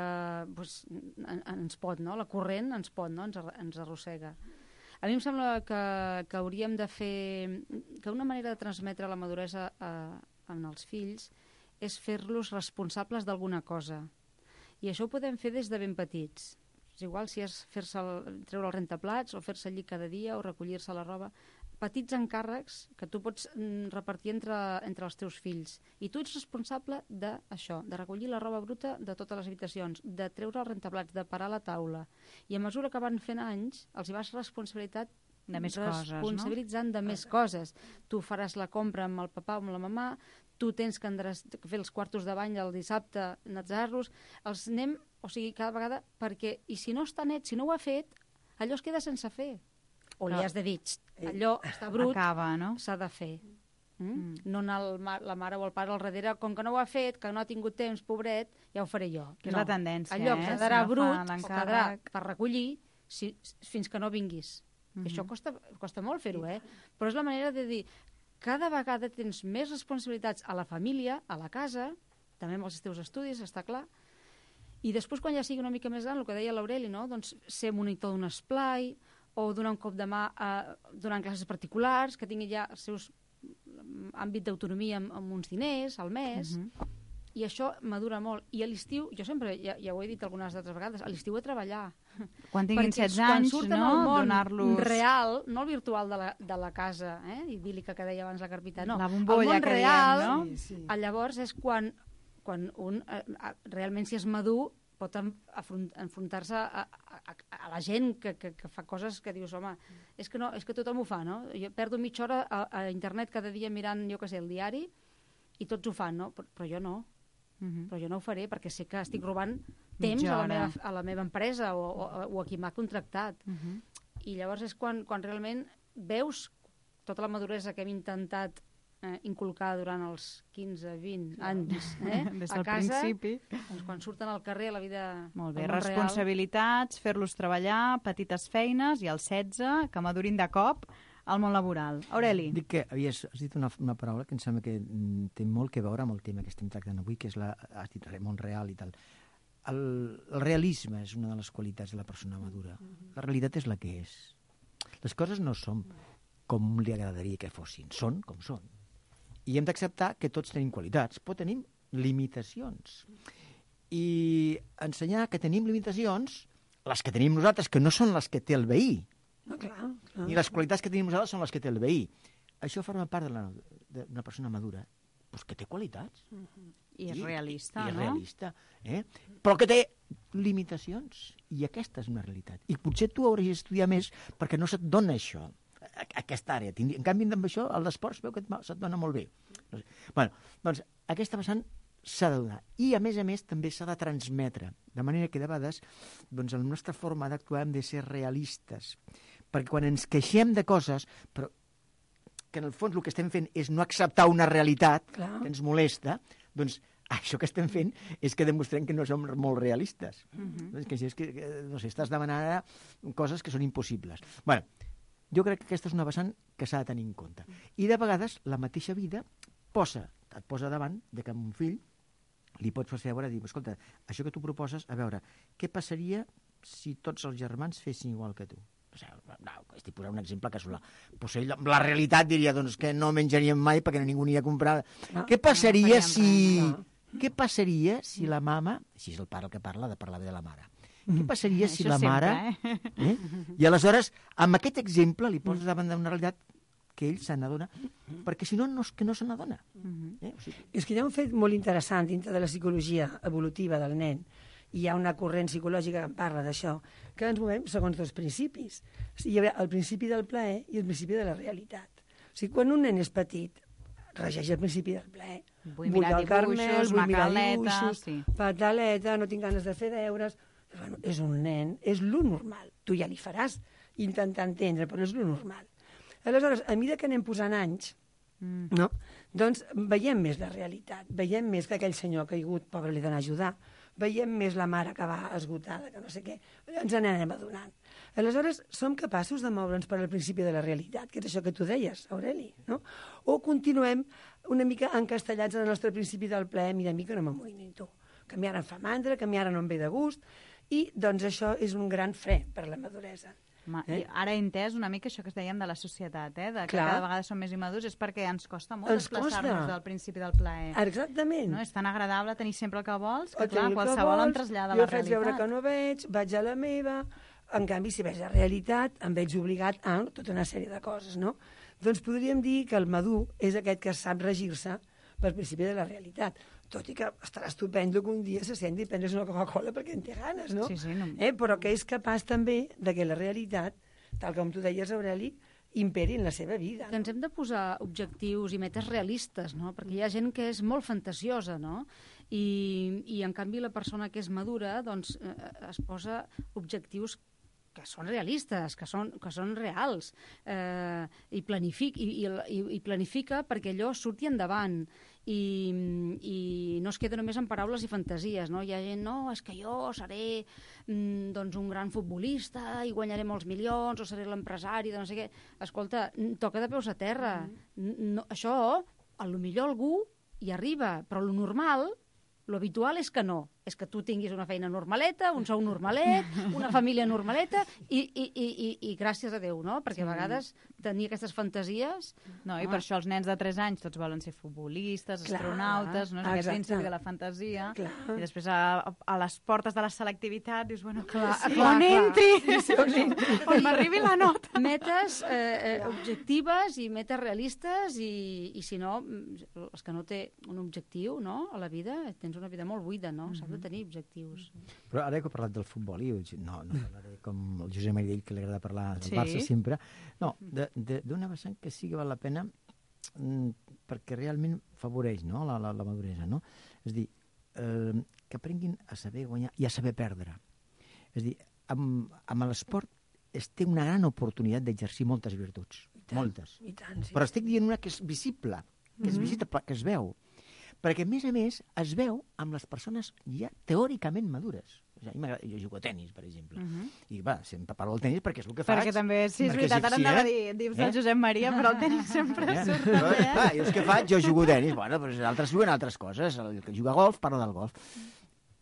ens pot, no? La corrent ens pot, no? Ens arrossega. A mi em sembla que hauríem de fer... que una manera de transmetre la maduresa en els fills és fer-los responsables d'alguna cosa. I això ho podem fer des de ben petits. És igual si és treure el rentaplats o fer-se llit cada dia o recollir-se la roba. Petits encàrrecs que tu pots repartir entre els teus fills. I tu ets responsable d'això, de recollir la roba bruta de totes les habitacions, de treure els rentaplats, de parar la taula. I a mesura que van fent anys, els hi vas responsabilitzant de més coses. Tu faràs la compra amb el papà o amb la mamà, tu tens que fer els quartos de bany el dissabte, netejar-los, els anem, cada vegada, perquè, i si no està net, si no ho ha fet, allò es queda sense fer. O li has de dir, allò està brut, s'ha de fer. No anar la mare o el pare al darrere, com que no ho ha fet, que no ha tingut temps, pobret, ja ho faré jo. Que és la tendència, allò quedarà brut o quedarà per recollir fins que no vinguis. I això costa molt fer-ho, però és la manera de dir, cada vegada tens més responsabilitats a la família, a la casa, també amb els teus estudis, està clar, i després quan ja sigui una mica més gran, el que deia l'Aureli, no? Doncs ser monitor d'un esplai, o donar un cop de mà donant classes particulars, que tingui ja el seu àmbit d'autonomia amb uns diners al mes, i això madura molt. I a l'estiu, jo sempre, ja ho he dit algunes altres vegades, a l'estiu a treballar. Quan tinguin 16 anys, donar-los... real, no el virtual de la casa, idíl·lica que deia abans la Carpita, no. La bombolla el món real, no? Llavors és quan un realment, si és madur, pot enfrontar-se a la gent que fa coses que dius, home, és que tothom ho fa, no? Jo perdo mitja hora a internet cada dia mirant, jo què sé, el diari, i tots ho fan, no? Però jo no. Però jo no ho faré perquè sé que estic robant temps a la meva empresa o a qui m'ha contractat. I llavors és quan realment veus tota la maduresa que hem intentat inculcar durant els 15-20 anys des a del casa, principi. Doncs quan surten al carrer a la vida... Molt bé, responsabilitats, fer-los treballar, petites feines, i als 16, que madurin de cop, al món laboral. Aureli. Dic que has dit una paraula que em sembla que té molt que veure amb el tema que estem tractant avui, que és has dit món real i tal. El realisme és una de les qualitats de la persona madura. La realitat és la que és. Les coses no són com li agradaria que fossin, són com són. I hem d'acceptar que tots tenim qualitats, però tenim limitacions. I ensenyar que tenim limitacions, les que tenim nosaltres, que no són les que té el veí, No, clar. ni les qualitats que tenim nosaltres són les que té el veí. Això forma part d'una persona madura, doncs que té qualitats. I és realista, I és no? realista, però que té limitacions. I aquesta és una realitat. I potser tu hauries d'estudiar més perquè no se't dona això, aquesta àrea. En canvi, amb això, el d'esports veu que se't dona molt bé. Bueno, doncs aquesta vessant s'ha de donar. I, a més, també s'ha de transmetre. De manera que, de vegades, doncs, la nostra forma d'actuar hem de ser realistes. Perquè quan ens queixem de coses, però que en el fons el que estem fent és no acceptar una realitat que ens molesta, doncs això que estem fent és que demostrem que no som molt realistes. És que, no sé, estàs demanant ara coses que són impossibles. Bé, jo crec que aquesta és una vessant que s'ha de tenir en compte. I de vegades la mateixa vida et posa davant de que amb un fill li pots fer veure, dir, escolta, això que tu proposes, a veure, què passaria si tots els germans fessin igual que tu? Estic posant un exemple casolà. Potser la realitat diria doncs, que no menjaríem mai perquè ningú n'hi ha comprat. Què passaria si la mama, si és el pare el que parla, de parlar bé de la mare, què passaria si la mare... I aleshores, amb aquest exemple li poses davant d'una realitat que ell se n'adona, perquè si no, no és que no se n'adona. És que hi ha un fet molt interessant dintre de la psicologia evolutiva del nen. Hi ha una corrent psicològica que en parla d'això, que ens movem segons dos principis. Hi ha el principi del plaer i el principi de la realitat. O sigui, quan un nen és petit, regeix el principi del plaer. Vull mirar dibuixos, macaleta, pataleta, no tinc ganes de fer deures. Bueno, és un nen, és lo normal. Tu ja li faràs intentar entendre, però és lo normal. Aleshores, a mesura que anem posant anys, no? Doncs veiem més la realitat, veiem més que aquell senyor caigut, pobre, li dona a ajudar, veiem més la mare que va esgotada, que no sé què, ens n'anem adonant. Aleshores, som capaços de moure'ns per al principi de la realitat, que és això que tu deies, Aureli, no? O continuem una mica encastellats en el nostre principi del plaer, mira, no m'amoïnito, que a mi ara em fa mandra, que a mi ara no em ve de gust, i doncs això és un gran fre per la maduresa. Ara he entès una mica això que es dèiem de la societat, de que cada vegada som més immadurs, és perquè ens costa molt desplaçar-nos del principi del plaer. Exactament. No? És tan agradable tenir sempre el que vols, que clar, qualsevol em trasllada la realitat. Jo faig veure que no veig, vaig a la meva, en canvi, si veig la realitat, em veig obligat a tota una sèrie de coses, no? Doncs podríem dir que el madur és aquest que sap regir-se per principi de la realitat. Tot i que estarà estupendo que un dia se senti i prendre's una Coca-Cola perquè en té ganes, no? Sí, no. Però que és capaç també de que la realitat, tal com tu deies, Aureli, imperi en la seva vida. Que ens hem de posar objectius i metes realistes, no? Perquè hi ha gent que és molt fantasiosa, no? I en canvi la persona que és madura doncs, es posa objectius que són realistes, que són reals, i planifica perquè allò surti endavant i no es queda només en paraules i fantasies, no? Hi ha gent, no, és que jo seré doncs un gran futbolista i guanyaré molts milions o seré l'empresari de no sé què. Escolta, toca de peus a terra. Això, a lo millor algú hi arriba, però lo normal, lo habitual és que no. És que tu tinguis una feina normaleta, un sou normalet, una família normaleta i gràcies a Déu, no? Perquè a vegades tenir aquestes fantasies... No, i per això els nens de 3 anys tots volen ser futbolistes, astronautes, no? És aquest principi de la fantasia. I després a les portes de la selectivitat dius, bueno, on entri, on m'arribi la nota. Metes objectives i metes realistes i si no, els que no té un objectiu, no?, a la vida, tens una vida molt buida, no? S'ha de tenir objectius. Però ara que he parlat del futbol, no parlaré com el Josep Maridell, que li agrada parlar del Barça sempre, no, d'una vessant que sí que val la pena perquè realment favoreix, no?, la maduresa, no? És a dir, que aprenguin a saber guanyar i a saber perdre. És a dir, amb l'esport es té una gran oportunitat d'exercir moltes virtuts, moltes. I tant, sí. Però estic dient una que és visible, que que es veu. Perquè, a més, es veu amb les persones ja teòricament madures. Jo jugo a tenis, per exemple. I va, sempre parlo del tenis perquè és el que faig. Perquè també, sí, és veritat, ara anava a dir, dius el Josep Maria, però el tenis sempre surt també, Jo és que faig, jo jugo a tenis, bueno, però altres juguen altres coses. El que juga a golf parla del golf.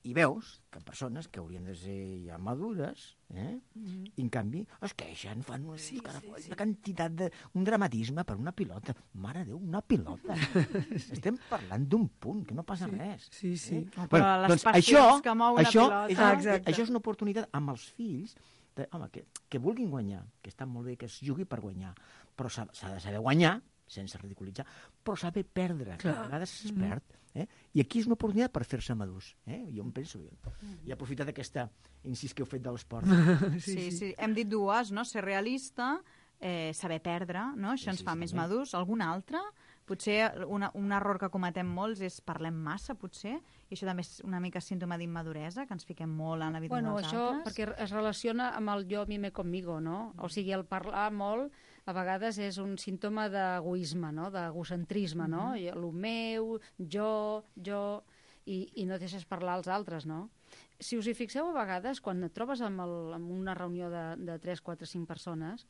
I veus que persones que haurien de ser ja madures, i en canvi es queixen, fan una quantitat un dramatisme per una pilota. Mare de Déu, una pilota. Estem parlant d'un punt, que no passa res. Sí. Però les passions que mou una pilota... Això és una oportunitat amb els fills que vulguin guanyar, que està molt bé que es jugui per guanyar, però s'ha de saber guanyar, sense ridiculitzar, però saber perdre, que a vegades es perd. I aquí és una oportunitat per fer-se madurs. Jo em penso, i aprofitar d'aquesta incís que heu fet de l'esport. Sí. Hem dit dues, no? Ser realista, saber perdre, no? Això ens fa més madurs. Algun altre? Potser un error que cometem molts és parlem massa, potser, i això també és una mica símptoma d'immaduresa, que ens fiquem molt en la vida dels altres. Això perquè es relaciona amb el jo, mime, conmigo, no? O sigui, el parlar molt a vegades és un símptoma d'egoisme, no? D'egocentrisme, no? El meu, jo, i no deixes parlar als altres, no? Si us hi fixeu, a vegades, quan et trobes en una reunió de 3, 4, 5 persones,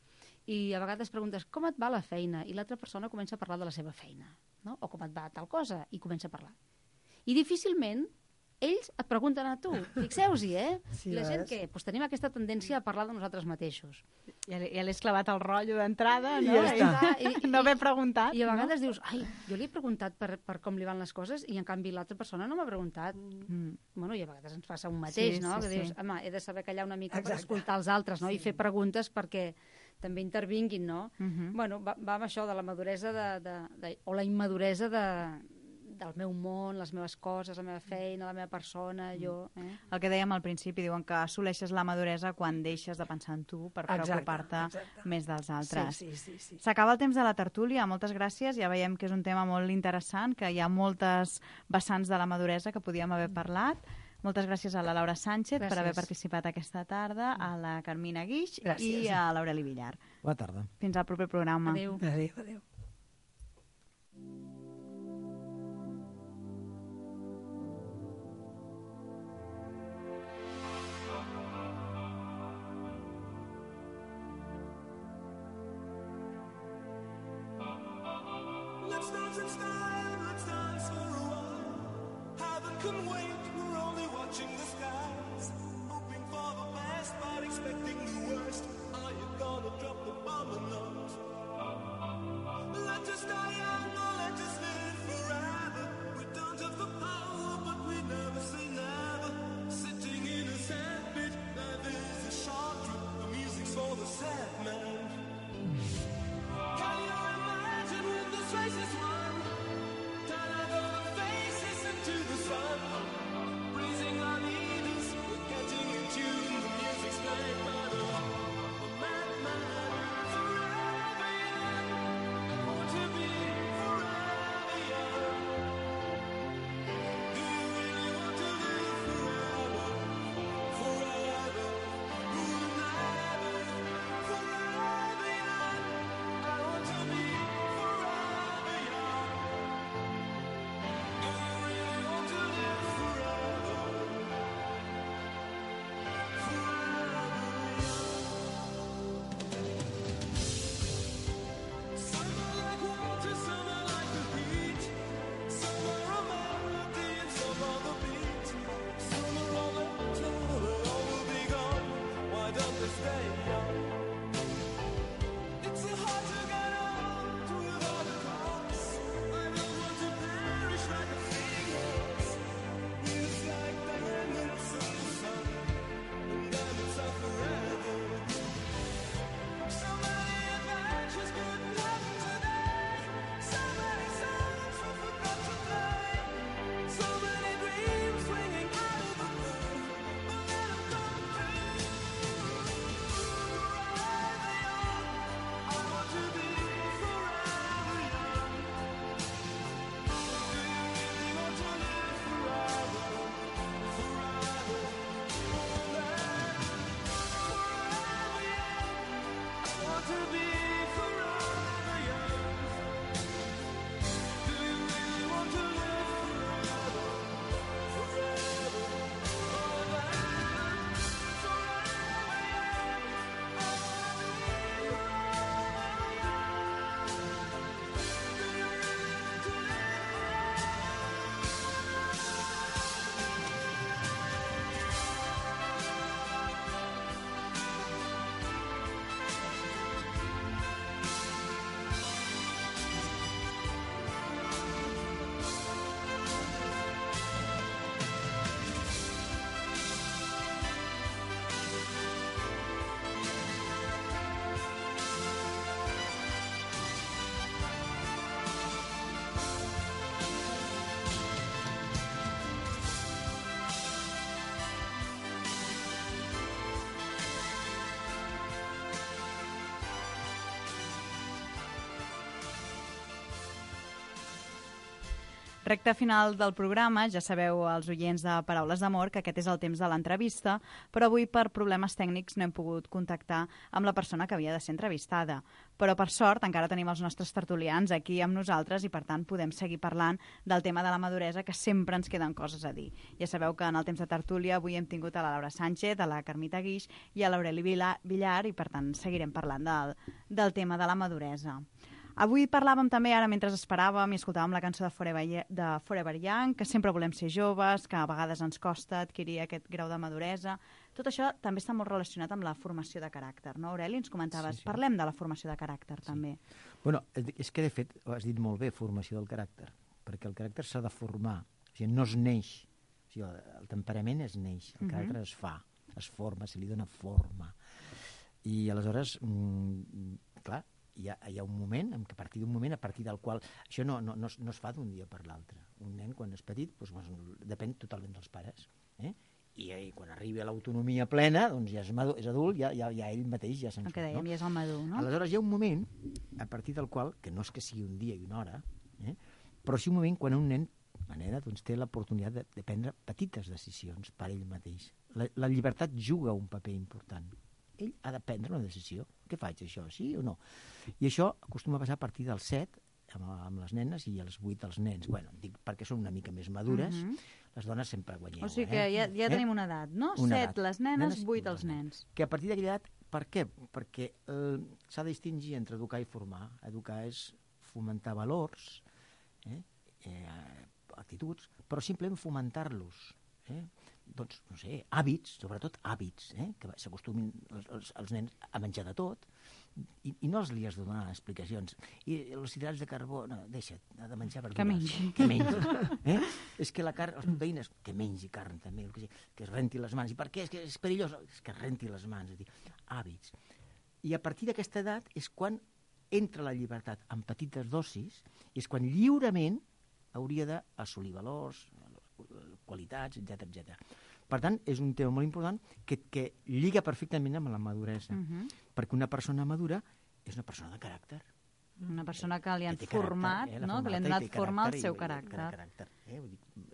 i a vegades preguntes com et va la feina, i l'altra persona comença a parlar de la seva feina, no? O com et va tal cosa, i comença a parlar. I difícilment ells et pregunten a tu. Fixeu-s'hi, Sí, la gent què? Doncs tenim aquesta tendència a parlar de nosaltres mateixos. Ja l'he clavat el rotllo d'entrada, no? I ja està. I no m'he preguntat. I a vegades dius, ai, jo li he preguntat per com li van les coses i en canvi l'altra persona no m'ha preguntat. Bueno, i a vegades ens passa un mateix, no? Que dius, home, he de saber callar una mica per escoltar els altres, no? I fer preguntes perquè també intervinguin, no? Bueno, va amb això de la maduresa o la immaduresa del meu món, les meves coses, la meva feina, la meva persona, jo... El que dèiem al principi, diuen que assoleixes la maduresa quan deixes de pensar en tu per preocupar-te més dels altres. Sí. S'acaba el temps de la tertúlia, moltes gràcies. Ja veiem que és un tema molt interessant, que hi ha moltes vessants de la maduresa que podíem haver parlat. Moltes gràcies a la Laura Sánchez per haver participat aquesta tarda, a la Carmina Guix i a l'Aureli Villar. Bona tarda. Fins al proper programa. Adéu. Adéu. Let's dance in style, let's dance for a while. Heaven can wait, we're only watching the skies. Hoping for the best, but expecting the worst. Are you gonna drop the bomb or not? Let us die young or let us live forever. We don't have the power, but we never say never. Sitting in a sandpit, life is a short trip. The music's for the sad man. Can you imagine when this race is won? Turn out all the faces into the sun. Recte final del programa, ja sabeu els oients de Paraules d'Amor que aquest és el temps de l'entrevista, però avui per problemes tècnics no hem pogut contactar amb la persona que havia de ser entrevistada. Però per sort encara tenim els nostres tertulians aquí amb nosaltres i per tant podem seguir parlant del tema de la maduresa, que sempre ens queden coses a dir. Ja sabeu que en el temps de tertúlia avui hem tingut a la Laura Sánchez, a la Carmita Guix i a l'Aureli Villar i per tant seguirem parlant del tema de la maduresa. Avui parlàvem també, ara mentre esperàvem i escoltàvem la cançó de Forever Young, que sempre volem ser joves, que a vegades ens costa adquirir aquest grau de maduresa. Tot això també està molt relacionat amb la formació de caràcter, no, Aureli? Ens comentaves, Sí. Parlem de la formació de caràcter, també. Bueno, és que de fet, ho has dit molt bé, formació del caràcter, perquè el caràcter s'ha de formar, o sigui, no es neix, o sigui, el temperament es neix, el caràcter es fa, es forma, se li dona forma. I aleshores, clar, hi ha un moment, a partir d'un moment, a partir del qual... Això no es fa d'un dia per l'altre. Un nen, quan és petit, doncs, depèn totalment dels pares. I quan arribi a l'autonomia plena, doncs ja és adult, ja ell mateix ja se'n El que surt. dèiem, ja és el madur, no? Aleshores hi ha un moment, a partir del qual, que no és que sigui un dia i una hora, però sí un moment quan un nen, una nena, doncs, té l'oportunitat de prendre petites decisions per ell mateix. La llibertat juga un paper important. Ell ha de prendre una decisió. Què faig, això? Sí o no? I això acostuma a passar a partir dels 7 amb les nenes i als 8 els nens. Bueno, dic perquè són una mica més madures, les dones sempre guanyeu. O sigui que ja tenim una edat, no? Una 7 edat. les nenes, Nenes i 8 els nens. Que a partir d'aquella edat, per què? Perquè s'ha de distingir entre educar i formar. Educar és fomentar valors, actituds, però simplement fomentar-los. Doncs, no sé, hàbits, sobretot hàbits, que s'acostumin els nens a menjar de tot, i no els li has de donar explicacions. I els hidrats de carbó, no, deixa't, ha de menjar verdures. Que mengi. Que mengi. És que la carn, les proteïnes, que mengi carn també, que es renti les mans. I per què? És que és perillós. És que es renti les mans. És a dir, hàbits. I a partir d'aquesta edat és quan entra la llibertat en petites dosis, i és quan lliurement hauria d'assolir valors, qualitats, etc. Per tant, és un tema molt important que lliga perfectament amb la maduresa, perquè una persona madura és una persona de caràcter. Una persona que li han Que té caràcter, format, la no? Que li han formata donat i té forma al caràcter seu i caràcter.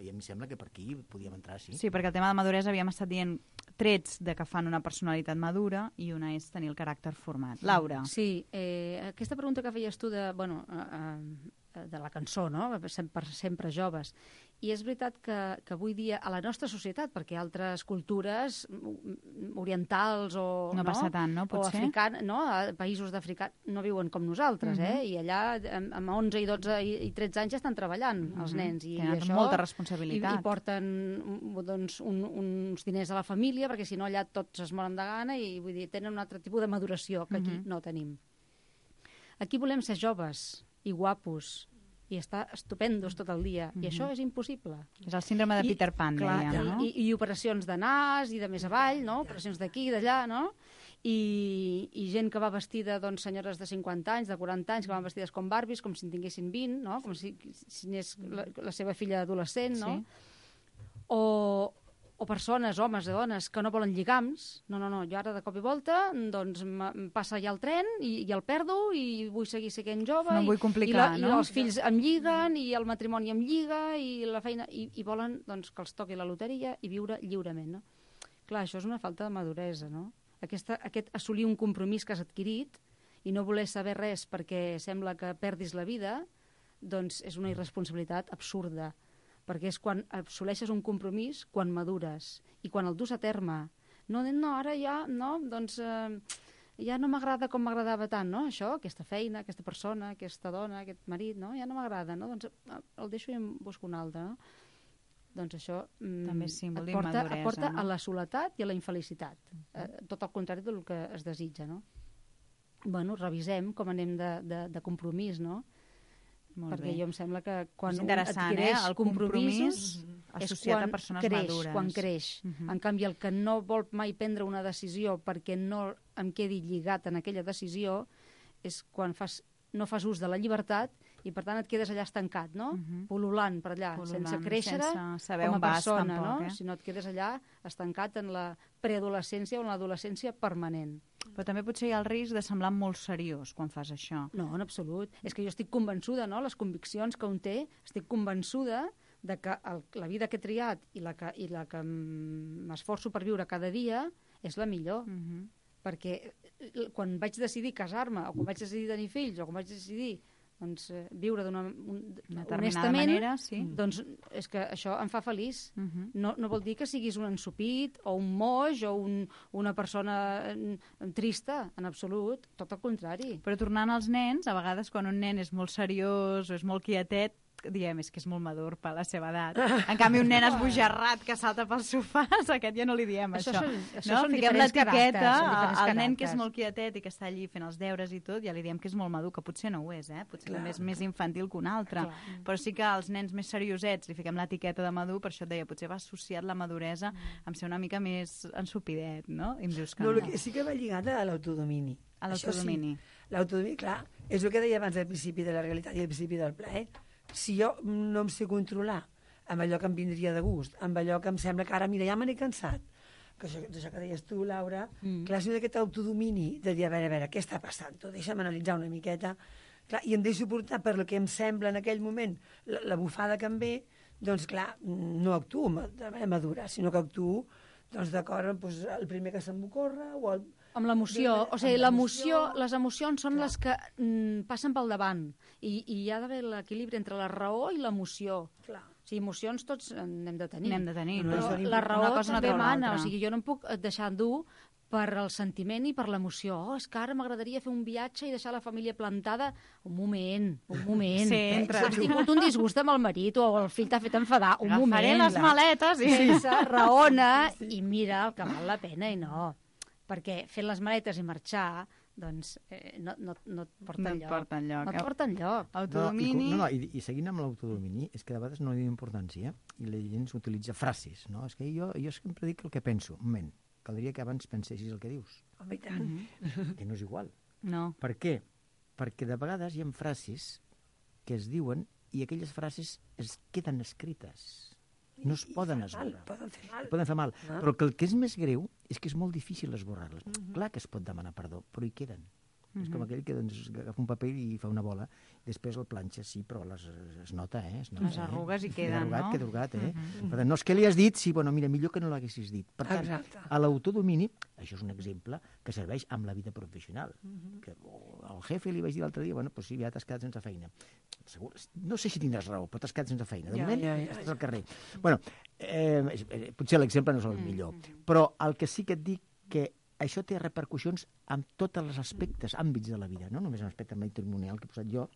I em sembla que per aquí podíem entrar, sí. Sí, perquè el tema de maduresa havíem estat dient trets de que fan una personalitat madura i una és tenir el caràcter format. Laura. Sí, aquesta pregunta que feies tu de la cançó, no? Per sempre joves. I és veritat que avui dia a la nostra societat, perquè altres cultures orientals o... No passa tant, no? Potser? A països d'Àfrica no viuen com nosaltres, I allà amb 11 i 12 i 13 anys ja estan treballant els nens. I Tenen això, molta responsabilitat. I porten doncs, uns diners a la família, perquè si no allà tots es moren de gana i vull dir, tenen un altre tipus de maduració que aquí no tenim. Aquí volem ser joves i guapos i estar estupendos tot el dia. I això és impossible. És el síndrome de Peter Pan, dèiem, no? I operacions de nas i de més avall, no? Operacions d'aquí i d'allà, no? I gent que va vestida, doncs, senyores de 50 anys, de 40 anys, que van vestides com Barbies, com si en tinguessin 20, no? Com si anés la seva filla adolescent, no? O persones, homes o dones, que no volen lligams. No, jo ara de cop i volta doncs passa ja el tren i el perdo i vull seguir sent jove. No vull complicar, I els fills em lliguen i el matrimoni em lliga i la feina... I volen doncs, que els toqui la loteria i viure lliurement, no? Clar, això és una falta de maduresa, no? Aquest assolir un compromís que has adquirit i no voler saber res perquè sembla que perdis la vida, doncs és una irresponsabilitat absurda, perquè és quan assoleixes un compromís, quan madures, i quan el dus a terme. No, ara ja, no, doncs ja no m'agrada com m'agradava tant, no? Això, aquesta feina, aquesta persona, aquesta dona, aquest marit, no? Ja no m'agrada, no? Doncs el deixo i em busco un altre, no? Doncs això també és símbol et porta a la soledat i a la infelicitat. Tot el contrari del que es desitja, no? Bueno, revisem com anem de compromís, no? Perquè jo em sembla que quan un adquireix el compromís associat a persones madures. Quan creix. En canvi, el que no vol mai prendre una decisió perquè no em quedi lligat en aquella decisió és quan no fas ús de la llibertat i, per tant, et quedes allà estancat, no? Pul·lulant per allà, sense créixer com a persona, no? Si no et quedes allà estancat en la preadolescència o en l'adolescència permanent. Però també potser hi ha el risc de semblar molt seriós quan fas això. No, en absolut. És que jo estic convençuda, no?, les conviccions que un té, estic convençuda de que la vida que he triat i la que m'esforço per viure cada dia és la millor. Perquè quan vaig decidir casar-me, o quan vaig decidir tenir fills, o quan vaig decidir viure d'una determinada manera, sí. Doncs és que això em fa feliç. No vol dir que siguis un ensupit o un moix o una persona trista, en absolut, tot el contrari. Però tornant als nens, a vegades quan un nen és molt seriós o és molt quietet, diem, és que és molt madur per la seva edat. En canvi, un nen esbojarrat que salta pels sofàs, aquest ja no li diem això. Són Fiquem diferents l'etiqueta caràcters, al nen que és molt quietet i que està allí fent els deures i tot, ja li diem que és molt madur, que potser no ho és, potser també és més infantil que un altre. Però sí que als nens més seriosets li fiquem l'etiqueta de madur, per això et deia, potser va associat la maduresa amb ser una mica més ensupidet, no? I em dius que no. El que sí que va lligat a l'autodomini. A l'autodomini. Sí, l'autodomini, clar, és el que deia abans al principi de la realitat i al principi del plaer. Si jo no em sé controlar amb allò que em vindria de gust, amb allò que em sembla que ara, mira, ja me n'he cansat, que això que deies tu, Laura, clar, si d'aquest autodomini de dir, a veure, què està passant? Deixa'm analitzar una miqueta, clar, i em deixo portar per el que em sembla en aquell moment, la bufada que em ve, doncs clar, no actuo de manera madura, sinó que actuo doncs d'acord amb el primer que se'm ocorre o el... Amb l'emoció, o sigui, les emocions són les que passen pel davant i hi ha d'haver l'equilibri entre la raó i l'emoció. Clar. O sigui, emocions tots n'hem de tenir. N'hem de tenir. Però la raó també mana, o sigui, jo no em puc deixar dur per el sentiment i per l'emoció. És que ara m'agradaria fer un viatge i deixar la família plantada. Un moment. Sempre. Has tingut un disgust amb el marit o el fill t'ha fet enfadar. Un moment. Agafaré les maletes i... Sense raona i mira el que val la pena i no. Perquè fent les maletes i marxar, doncs no et porta enlloc. No et porta enlloc. Autodomini... I seguint amb l'autodomini, és que de vegades no li dono importància i la gent utilitza frases, no? És que jo sempre dic el que penso. Un moment, caldria que abans pensessis el que dius. Home, i tant. Que no és igual. No. Per què? Perquè de vegades hi ha frases que es diuen i aquelles frases es queden escrites. No es poden esborrar. Poden fer mal. Però el que és més greu és que és molt difícil esborrar-les. Clar que es pot demanar perdó, però hi queden. És com aquell que agafa un paper i fa una bola, després el planxa, sí, però es nota, es nota. Les arrugues hi queden, no? Queda arrugat, Per tant, no és que li has dit, sí, bueno, mira, millor que no l'haguessis dit. Per tant, a l'autodomini, això és un exemple que serveix amb la vida professional. Que al jefe li vaig dir l'altre dia, bueno, doncs sí, ja t'has quedat sense feina. Segur, no sé si tindràs raó, però t'has quedat sense feina. De moment, estàs al carrer. Bueno, potser l'exemple no és el millor, però el que sí que et dic que això té repercussions en tots els aspectes, àmbits de la vida, no només en l'aspecte matrimonial que he posat jo,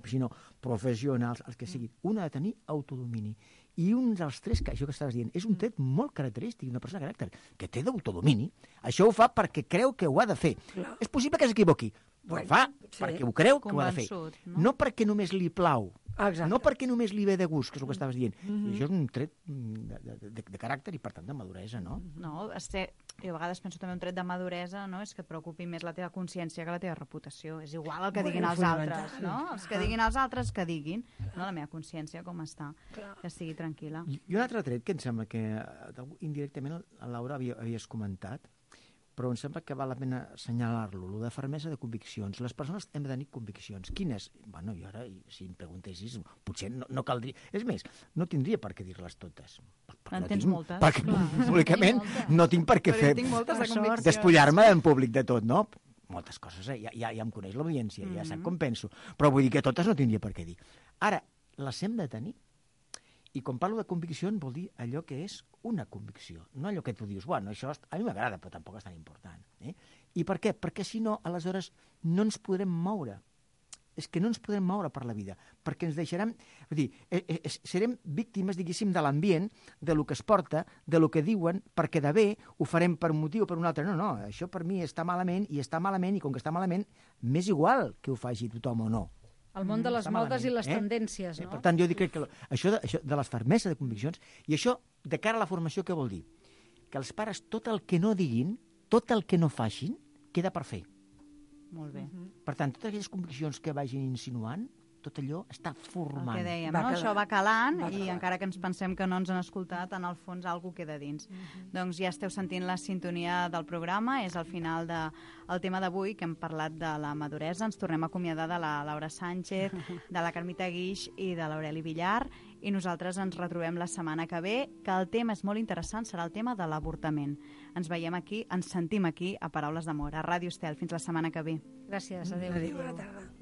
sinó professionals, els que siguin. Un ha de tenir autodomini. I un dels tres, que això que estaves dient, és un tret molt característic d'una persona de caràcter, que té d'autodomini. Això ho fa perquè creu que ho ha de fer. És possible que s'equivoqui, però fa perquè ho creu que ho ha de fer. No perquè només li plau. No perquè només li ve de gust, que és el que estaves dient. I això és un tret de caràcter i, per tant, de maduresa, no? No, jo a vegades penso també un tret de maduresa, no? És que preocupi més la teva consciència que la teva reputació. És igual el que diguin els altres, no? Els que diguin els altres, que diguin. No, la meva consciència com està, que estigui tranquil·la. I un altre tret que em sembla que indirectament la Laura havies comentat, però em sembla que val la pena assenyalar-lo, lo de fermesa de conviccions. Les persones hem de tenir conviccions. Quines? Bueno, jo ara, si em preguntessis, potser no caldria... És més, no tindria per què dir-les totes. En tens moltes. Perquè públicament no tinc per què fer... Despullar-me en públic de tot, no? Moltes coses, ja em coneix l'audiència, ja sap com penso. Però vull dir que totes no tindria per què dir. Ara, les hem de tenir. I quan parlo de conviccions vol dir allò que és una convicció, no allò que tu dius, bueno, això a mi m'agrada, però tampoc és tan important. I per què? Perquè si no, aleshores no ens podrem moure. És que no ens podrem moure per la vida, perquè ens deixarem... Vull dir, serem víctimes, diguéssim, de l'ambient, de lo que es porta, de lo que diuen, perquè de bé ho farem per un motiu o per un altre. No, això per mi està malament, i com que està malament, m'és igual que ho faci tothom o no. El món de les modes i les tendències, no? Per tant, jo dic que això de les fermeses de conviccions, i això, de cara a la formació, què vol dir? Que els pares, tot el que no diguin, tot el que no facin, queda per fer. Molt bé. Per tant, totes aquelles conviccions que vagin insinuant, tot allò està El formant. que dèiem, Va no? calant. Això va calant Va i calant. encara que ens pensem que no ens han escoltat, en el fons alguna queda dins. Doncs ja esteu sentint la sintonia del programa, és al final del tema d'avui, que hem parlat de la maduresa. Ens tornem a acomiadar de la Laura Sánchez, de la Carmita Guix i de l'Aureli Villar, i nosaltres ens retrobem la setmana que ve, que el tema és molt interessant, serà el tema de l'avortament. Ens veiem aquí, ens sentim aquí a Paraules d'Amor, a Ràdio Estel. Fins la setmana que ve. Gràcies, adéu. Adéu, bona tarda.